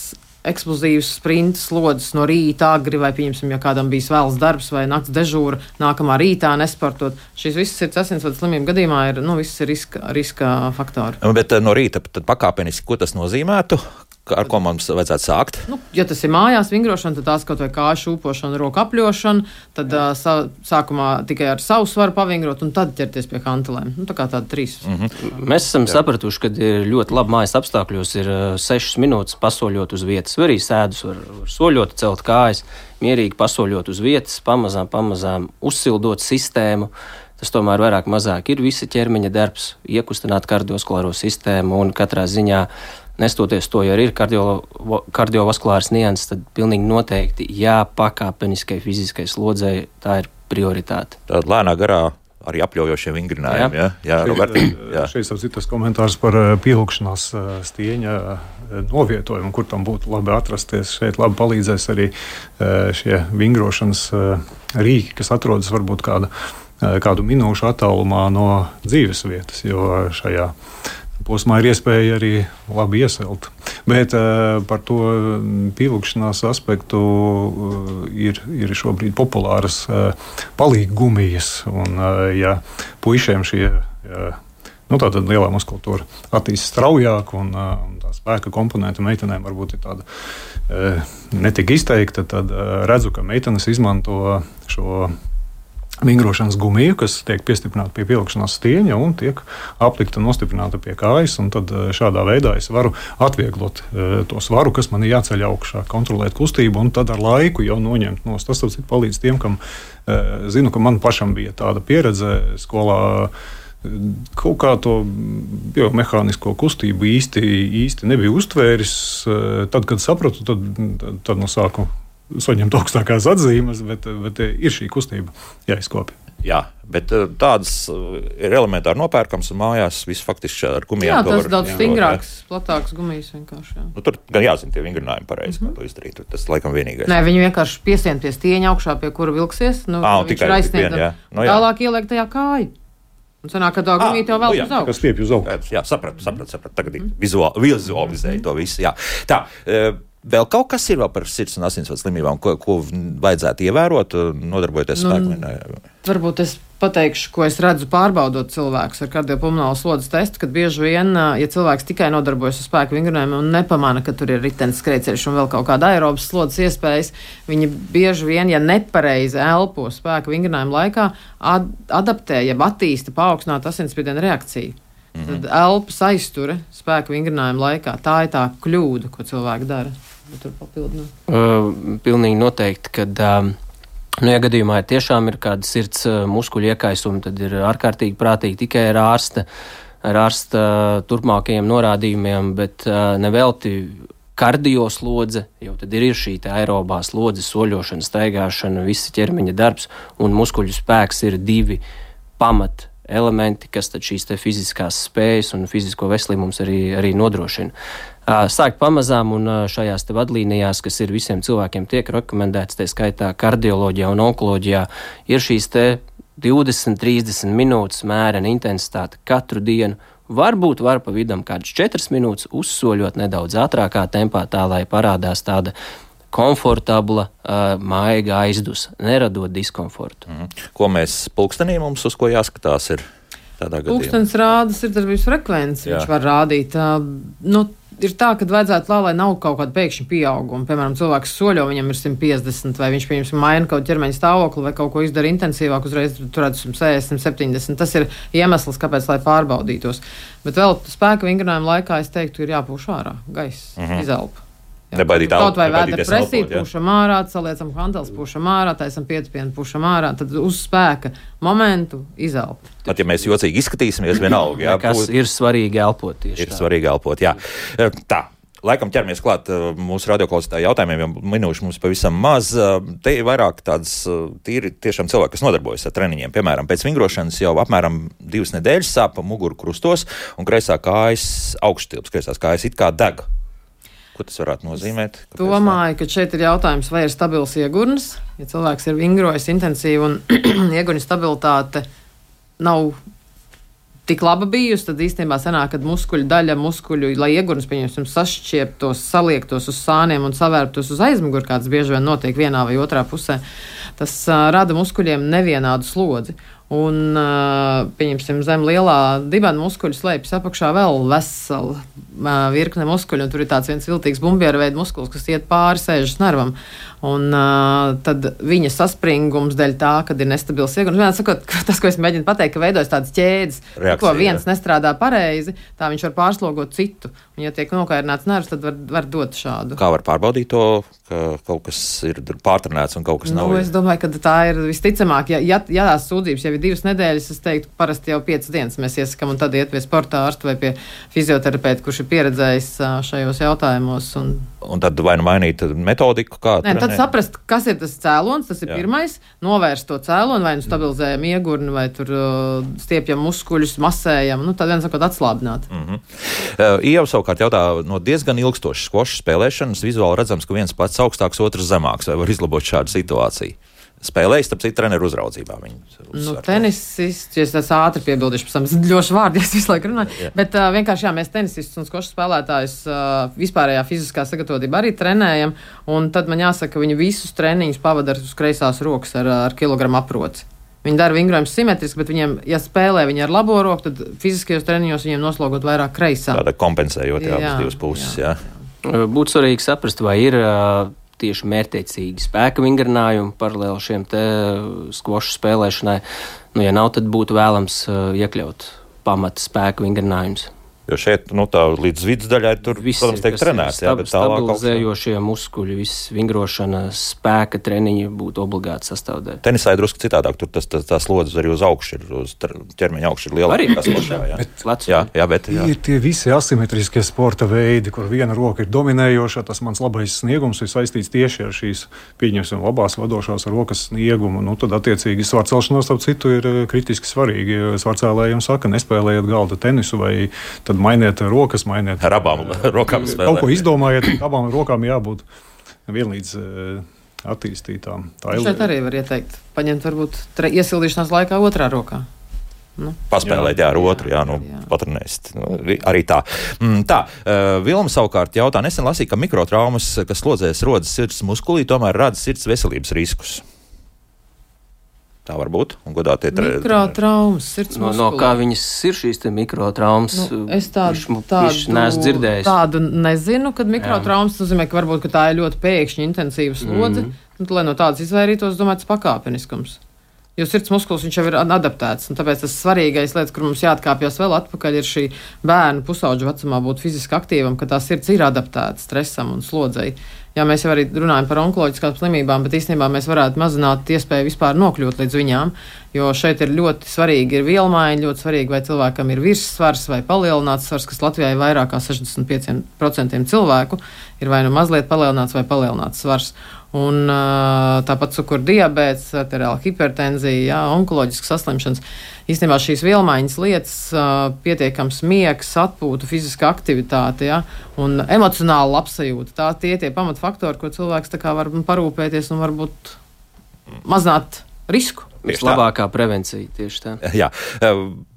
eksplozīvas sprinta slodzes no rīta agri vai, pieņemsim, ja kādam bijis vēls darbs vai nakts dežūra, nākamā rītā nesportot. Šīs visas sirds asinsvadu slimību gadījumā ir, nu, visas ir riska, riska faktori. Bet no rīta tad pakāpeniski, ko tas nozīmētu? Ar ko mums vajadzētu sākt? Nu, ja tas ir mājās vingrošana, tad tās kaut vai kāju šūpošana, roku apļošana, tad uh, sā, sākumā tikai ar savu svaru pavingrot un tad ķerties pie hantelēm. Nu, tā kā tāda trīs. Mm-hmm. Mēs esam Jā. sapratuši, ka ir ļoti labi mājas apstākļos, ir uh, sešas minūtes pasoļot uz vietas. Var arī sēdus, var, var soļot, celt kājas, mierīgi pasoļot uz vietas, pamazām, pamazām uzsildot sistēmu. Tas tomēr vairāk mazāk ir visa ķermeņa darbs, iekustināt kardiovaskulāro sistēmu un katrā ziņā nestoties to, ja ir kardio, kardiovaskulārs nianses, tad pilnīgi noteikti jā, pakāpeniskai fiziskai slodzei tā ir prioritāte. Tāda lēnā garā arī apļaujošie vingrinājumi. Jā, jā, jā Roberti. Jā. Šeit ir citas komentārs par pievilkšanās stieņa novietojumu, kur tam būtu labi atrasties. Šeit labi palīdzēs arī šie vingrošanas rīki, kas atrodas varbūt kāda, kādu minūšu attālumā no dzīves vietas, jo šajā posmā ir iespēja arī labi ieselt. Bet uh, par to pievilkšanās aspektu uh, ir, ir šobrīd populāras uh, palīggumijas. Un, uh, ja puišiem šie uh, nu, tātad lielā muskultūra attīstās straujāk un, uh, un tā spēka komponenta meitenēm varbūt ir tāda uh, netik izteikta, tad uh, redzu, ka meitenes izmanto šo vingrošanas gumiju, kas tiek piestiprināta pie pievilkšanās stieņa un tiek aplikta un nostiprināta pie kājas. Tad šādā veidā es varu atvieglot to svaru, kas man ir jāceļ augšā, kontrolēt kustību un tad ar laiku jau noņemt nost. Tas tas palīdz tiem, kam zinu, ka man pašam bija tāda pieredze skolā. Kaut kā to biomehānisko kustību īsti, īsti nebija uztvēris. Tad, kad sapratu, tad, tad, tad no sāku saņemt augstākās atzīmes, bet, bet ir šī kustība jāizkopja. Jā, bet tādas ir elementāri nopērkams un mājās viss faktiski ar gumijām. Jā, tas ir daudz stingrāks, platāks gumijas vienkārši. Jā. Nu, tur gan jāzina tie vingrinājumi pareizi, mm-hmm. kā to izdarīt. Tas laikam vienīgais. Nē, viņi vienkārši piesien pie stieņa augšā, pie kura vilksies. Nu, Ā, viņš ir aizsniegt, jā. No, jā. Tālāk ieliek tajā kāju. Un sanāk, ka tā gumija tev vēl uz augšu. Tas stiepj uz augšu. Jā, sapratu, sapratu, sapratu. Tagad mm-hmm. vizuāli, vizualizēju mm-hmm. to visu. Jā. Tā, Vēl kaut kas ir vēl par sirds un asinsvadu slimībām, ko, ko vajadzētu ievērot, nodarbojoties nu, spēku? Varbūt es pateikšu, ko es redzu pārbaudot cilvēkus ar kardiopulmonālu slodzes testu, kad bieži vien, ja cilvēks tikai nodarbojas ar spēku vingrinājumu un nepamana, ka tur ir ritenis, skrejceļš un vēl kaut kāda aerobas slodzes iespējas, viņi bieži vien, ja nepareizi elpo spēku vingrinājumu laikā, ad adaptē, jeb attīsta paaugstināt asinsspiediena reakciju. Mm-hmm. Tad elpas aizture spēku vingrinājumu laikā. Tā ir tā kļūda, ko cilvēki dara. Tur papildināt. Uh, pilnīgi noteikti, kad uh, nu, ja gadījumā tiešām ir kāda sirds uh, muskuļu iekaisuma, tad ir ārkārtīgi prātīgi tikai ar ārsta, ar ārsta uh, turpmākajiem norādījumiem, bet uh, nevelti kardioslodze, jo tad ir šī aerobā slodze, soļošana, staigāšana, visa ķermeņa darbs, un muskuļu spēks ir divi pamat elementi, kas tad šīs te fiziskās spējas un fizisko veselību mums arī, arī nodrošina. Sākt pamazām un šajās te vadlīnijās, kas ir visiem cilvēkiem tiek rekomendēts, tā skaitā kardioloģijā un onkoloģijā, ir šīs te divdesmit trīsdesmit minūtes mērena intensitāte katru dienu. Varbūt var pa vidam kādas četras minūtes uzsoļot nedaudz ātrākā tempā, tā lai parādās tāda komfortabla, uh, maiga aizdus, neradot diskomfortu. Mm. Ko mēs pulkstenī mums uz ko jāskatās ir tādā gadījumā? Pulkstenis rāda sirdsdarbības frekvenci, viņš var rādīt. Uh, nu, ir tā, ka vajadzētu tā, lai nav kaut kāda pēkšņa pieauguma. Piemēram, cilvēks soļo, viņam ir simt piecdesmit, vai viņš, pieņemsim, maina kaut ķermeņa stāvokli, vai kaut ko izdara intensīvāk, uzreiz turētu simt sešdesmit, septiņdesmit. Tas ir iemesls, kāpēc, lai pārbaudītos. Bet vēl spēka vingrinājuma laikā, es teiktu, ir jāpūš ārā gaisa, mm-hmm. izelpa. Nebaidīt kaut vai vētra elpot, presīt, pūšam ārā, saliecam handels, pūšam ārā, taisam pietipienu, pūšam ārā, tad uz spēka momentu izelpa. Pat ja mēs jocīgi izskatīsimies, vienalga. Jā, kas būt, ir svarīgi elpot tieši ir tā. svarīgi elpot, jā. Tā. Laikam ķeramies klāt mūsu radioklausītāju jautājumiem, jo minūšu mums pavisam maz. Te ir vairāk tādas tīri tiešām cilvēki, kas nodarbojas ar treniņiem. Piemēram, pēc vingrošanas jau apmēram divas nedēļas sāpa muguru krustos un kreisā kājas augšstilps, kreisās kājas it kā deg. Ko tas varētu nozīmēt? Kāpēc Domāju, ka šeit ir jautājums, vai ir stabils iegurnis. Ja cilvēks ir vingrojis intensīvi un iegurņa stabilitāte nav tik laba bijusi, tad īstenībā sanāk, kad muskuļu daļa, muskuļu, lai iegurnis, pieņemsim, sašķieptos, saliektos uz sāniem un savērptos uz aizmuguri, kāds bieži vien notiek vienā vai otrā pusē, tas uh, rada muskuļiem nevienādu slodzi. Un, pieņemsim, zem lielā dibena muskuļu slēpjas apakšā vēl vesela virkne muskuļu, un tur ir tāds viens viltīgs bumbiera veida muskulis, kas iet pāri sēžas nervam. Un tad viņa saspringums dēļ tā, kad ir nestabils iegurnis. Vienā sakot, tas, ko es mēģinu pateikt, ka veidojas tādas ķēdes, ko viens jā. nestrādā pareizi, tā viņš var pārslogot citu. Un, ja tiek nokairināts nervs, tad var, var dot šādu. Kā var pārbaudīt to, ka kaut kas ir pārtrenēts un kaut kas nu, nav? Es domāju, ka tā ir visticamāk. Ja, ja, ja tās sūdzības jau ir divas nedēļas, es teiktu, parasti jau piecas dienas mēs iesakam un tad iet pie sporta ārsta vai pie fizioterapeita, kurš ir pieredzējis šajos jautājumos. Un, un tad vai nu mainīt metodiku? Kā Nē, tad saprast, kas ir tas cēlons, tas ir Jā. pirmais, novērst to cēloni, vai nu stabilizējam iegurni, vai tur uh, stiepjam muskuļus, masējam, nu tad viens sakot atslābināt. Mm-hmm. Uh, Ieva savukārt jautā, no diezgan ilgstošas skvoša spēlēšanas vizuāli redzams, ka viens pats augstāks, otrs zemāks, vai var izlabot šādu situāciju? Spēlējis, tāpēc ir treneru uzraudzībā. Nu, tenisists, ja es ātri piebildīšu, pēc tam es ļoti vārdi, es visu laiku runāju, yeah. bet uh, vienkārši jā, mēs tenisistus un skošu spēlētājus uh, vispārējā fiziskā sagatavotība arī trenējam, un tad man jāsaka, ka viņi visus treniņus pavada uz kreisās rokas ar, ar kilogramu aproci. Viņi dara vingrojumus simetriski, bet viņiem, ja spēlē viņi ar labo roku, tad fiziskajos treniņos viņiem noslogot vairāk kreisā. Tāda kompensējot jā, jā, divas puses, jā. jā. Būtu svarīgi saprast, vai ir uh, tieši mērķtiecīgi spēka vingrinājumi paralēli šiem te skvošu spēlēšanai. Nu, ja nav, tad būtu vēlams uh, iekļaut pamata spēka vingrinājumus. Jo šeit, nu tā līdz vidusdaļai tur, viss protams, tiek trenēts. Stab, stabilizējošie muskuļi, viss vingrošana, spēka treniņi būtu obligāti sastāvdaļa. Tenisā ir drusku citādāk, tur tas, tas, tās slodzes arī uz augšu, ir, uz ķermeņa augšu ir lielāka. Arī, sportā, jā. Bet, jā, jā, bet, jā. Ir tie visi asimetriskie sporta veidi, kur viena roka ir dominējoša, tas mans labais sniegums ir saistīts tieši ar šīs, pieņemsim, labās vadošās rokas sniegumu. Nu, tad, attiecīgi, svarcelšanos, starp citu, ir kritiski svarīgi. Svarcēlējiem saka, nespēlējiet galda tenisu vai tad mainiet rokas, mainiet. Ar abām rokām spēlēt. Kaut ko izdomājiet, abām rokām jābūt vienlīdz attīstītām. Tā šeit arī var ieteikt, paņemt varbūt tre, iesildīšanās laikā otrā rokā. Nu. Paspēlēt, jā, ar otru, jā, nu, jā. Patrenēst. Nu, arī tā. Mm, tā, uh, Vilma savukārt jautā, nesen lasīja, ka mikrotraumas, kas slodzēs rodas sirds muskulī, tomēr rada sirds veselības riskus. Tā var būt. Un godātie tre... Mikrotraumas, sirds no, muskulī. No kā viņas ir šīs te mikrotraumas? Nu, es tādu, Viš, tādu, viš neesmu dzirdējis. Tādu nezinu, kad mikrotraumas nozīmē, ka varbūt ka tā ir ļoti pēkšņi intensīva slodze. Mm. Nu, lai no tādas izvairītos, domāju, tas pakāpeniskums. Jo sirds muskulis viņš jau ir adaptēts, un tāpēc tas svarīgais lietas, kur mums jāatkāpjas vēl atpakaļ, ir šī bērnu pusauģu vecumā būt fiziski aktīvam, ka tā sirds ir adaptēta stresam un slodzei. Jā, mēs jau arī runājam par onkoloģiskām slimībām, bet īstenībā mēs varētu mazināt iespēju vispār nokļūt līdz viņām, jo šeit ir ļoti svarīgi ir vielmaiņa, ļoti svarīgi, vai cilvēkam ir virssvars vai palielināts svars, kas Latvijā ir vairāk kā sešdesmit pieci procenti cilvēku, ir vai nu mazliet palielināts vai palielināts svars. Un tāpat cukura diabēts, arteriāla hipertenzija, jā, onkoloģiskas saslimšanas. Īstenībā šīs vielmaiņas lietas, pietiekams miegs, atpūta, fiziska aktivitāte, jā, un emocionāla labsajūta. Tā tie tie pamatfaktori, ko cilvēks tā kā var parūpēties un varbūt mazināt risku. Vislabākā prevencija tieši tā. Jā,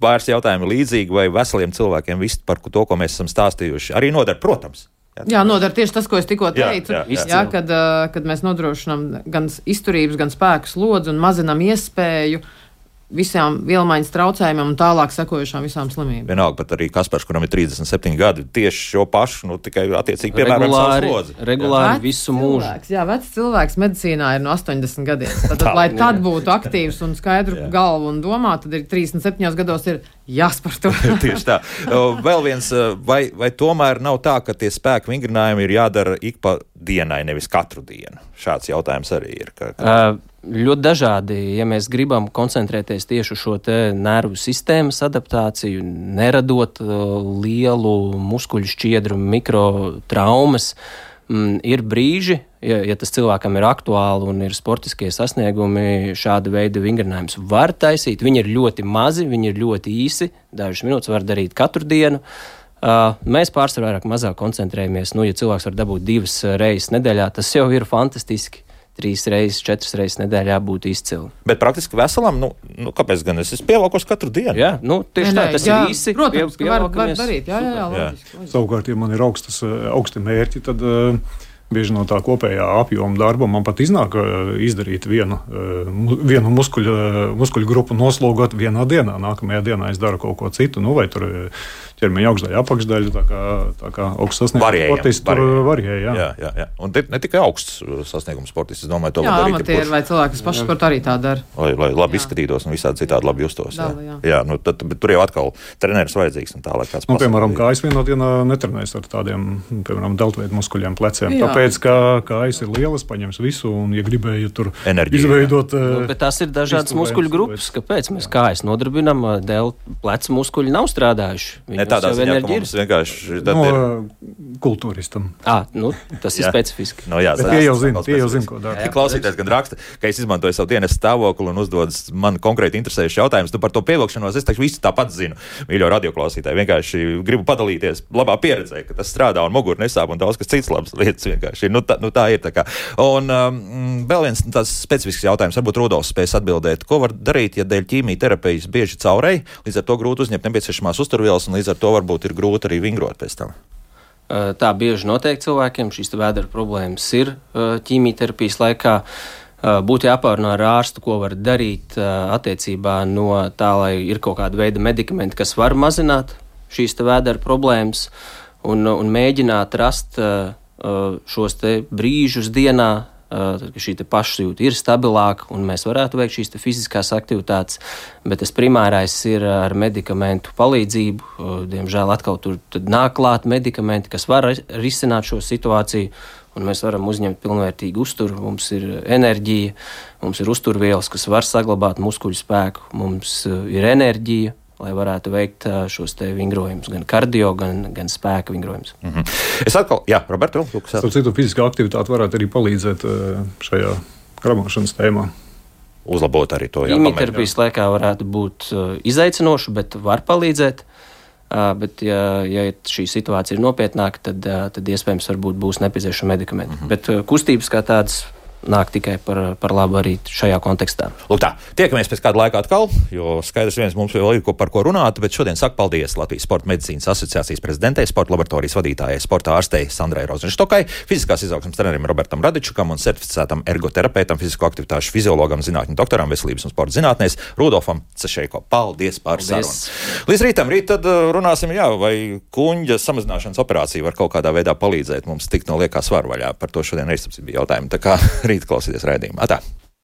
vairs jautājumi līdzīgi vai veseliem cilvēkiem viss par to, ko mēs esam stāstījuši. Arī nodara, protams. Jā, nodara tieši tas, ko es tikko teicu. Jā, jā, jā. Jā, kad, kad mēs nodrošinām gan izturības, gan spēku slodzi un mazinām iespēju visām vielmaiņas traucējumiem un tālāk sekojušām visām slimībām. Vienalga, pat arī Kaspars, kuram ir trīsdesmit septiņi gadi, tieši šo pašu, nu tikai attiecīgi piemēram regulāri, savu slodzi. Regulāri Vecs visu mūžu. Cilvēks, jā, vecs cilvēks medicīnā ir no astoņdesmit gadiem. Tad, lai tad būtu aktīvs un skaidru galvu un domā, tad ir trīsdesmit septiņos gados ir jāsparto. Tieši tā. Vēl viens, vai, vai tomēr nav tā, ka tie spēku vingrinājumi ir jādara ik pa dienai, nevis katru dienu? Šāds jautājums arī ir. Ka, ka... Uh, ļoti dažādi, ja mēs gribam koncentrēties tieši uz šo te nervu sistēmas adaptāciju, neradot uh, lielu muskuļu šķiedru mikrotraumas, mm, ir brīži, ja, ja tas cilvēkam ir aktuāli un ir sportiskie sasniegumi, šāda veida vingrinājums var taisīt. Viņi ir ļoti mazi, viņi ir ļoti īsi, dažas minūtes var darīt katru dienu. Uh, mēs pārsvarā vairāk mazāk koncentrējamies. Nu, ja cilvēks var dabūt divas reizes nedēļā, tas jau ir fantastiski. Trīs reizes, četras reizes nedēļā būtu izcili. Bet praktiski veselam, nu, nu kāpēc gan es esmu pievalkos katru dienu? Jā, nu, tieši Nē, tā, tas jā, ir īsi. Protams, pie, ka var, var darīt. Jā, jā, jā, loģiski, loģiski. Savukārt, ja man ir augstas, augsti mērķi, tad uh, bieži no tā kopējā apjoma darba man pat iznāk uh, izdarīt vienu, uh, vienu muskuļu, muskuļu grupu, noslogot vienā dienā. Nākamajā dienā es daru kaut ko citu, nu, vai tur ķermeņa augšdaļa, apakšdaļa, tā kā, tā kā augsts sasniegums sportists tur varēja. Jā. Jā, jā, jā. Un ne tikai augsts sasniegums sportists, es domāju, to jā, var darīt. Jā, amatieri vai cilvēki, kas paši sportu arī tā dara. Lai, lai labi jā. izskatītos un visādi citādi labi justos. Dala, jā. Jā, nu, tad, bet tur jau atkal treneris vajadzīgs un tālāk kāds nu, piemēram, kājas vienā dienā netrenēs ar tādiem, piemēram, deltveidu muskuļiem pleciem. Jā. Tāpēc, ka kājas ir lielas, paņems visu un, ja gribēja tur enerģiju izveidot. Nu, bet tās ir dažādas muskuļu grupas. Kāpēc mēs kājas nodarbinam, dēļ plecu muskuļi nav strādājuši? Ne tādā ziņā, ka mums vienkārši no, ir kultūristam. À, nu, tas ir specifiski. No, jā, tie jau zina, tie jau zina, ko dara. Klausītājs gan raksta, ka es izmantoju savu dienas stāvokli un uzdodas man konkrēti interesējušs jautājums. Tu par to pievilkšanos, es taču visu tāpat zinu. Mīļo radioklausītāji, vienkārši gribu padalīties labā pieredzē, ka tas strādā un mugura nesāp un daudz kas cits labs lietas vienkārši. Nu, tā, nu, tā ir tā kā. Un um, vēl viens tāds specifisks jautājums, varbūt Rudolfs spēs atbildēt. Ko var darīt, ja dēļ ķīmijterapijas bieži caurēji, līdz ar to grūti uzņemt nepieciešamās uzturvielas un līdz ar to varbūt ir grūti arī vingrot pēc tam? Tā bieži notiek cilvēkiem, šīs vēdera problēmas ir ķīmijterapijas laikā. Būtu jāpārunā ar ārstu, ko var darīt attiecībā no tā, lai ir kaut kāda veida medikamenti, kas var mazināt šīs vēdera problēmas un, un mēģināt rast šos te brīžus dienā, ka šī pašsajūta ir stabilāka un mēs varētu veikt šīs fiziskās aktivitātes, bet tas primārais ir ar medikamentu palīdzību. Diemžēl atkal tur nāk klāt medikamenti, kas var risināt šo situāciju, un mēs varam uzņemt pilnvērtīgu uzturu. Mums ir enerģija, mums ir uzturvielas, kas var saglabāt muskuļu spēku, mums ir enerģija, lai varētu veikt šos te vingrojumus, gan kardio, gan, gan spēka vingrojumus. Mm-hmm. Es atkal, jā, Roberto, Lukas. Starp citu, fiziskā aktivitāte varētu arī palīdzēt šajā kramošanas tēmā. Uzlabot arī to. Ķīmijterapijas laikā varētu būt izaicinoši, bet var palīdzēt. Bet, ja, ja šī situācija ir nopietnāka, tad, tad iespējams varbūt būs nepieciešama medikamenti. Mm-hmm. Bet kustības kā tādas nāk tikai par, par labu arī šajā kontekstā. Lūk tā, tiekamies pēc kāda laika atkal, jo skaidrs viens mums vēl ir ko par ko runāt, bet šodien saku paldies Latvijas Sporta medicīnas asociācijas prezidentei, sporta laboratorijas vadītājai, sporta ārstei Sandrai Rozenštokai, fiziskās izaugsmes trenerim Robertam Radičukam un certificētam ergoterapeitam, fizisko aktivitāšu fiziologam, zinātņu doktoram, veselības un sporta zinātnēs Rudolfam Cešeiko. Paldies par sarunu. Līdz rītam, rīt tad runāsim, jā, vai kuņģa samazināšanas operācija var kaut kādā veidā palīdzēt mums tikt no liekā svaru vaļā. Par to šodien arī bija jautājumi. Tā kā rīt klausieties raidījumā. Atā.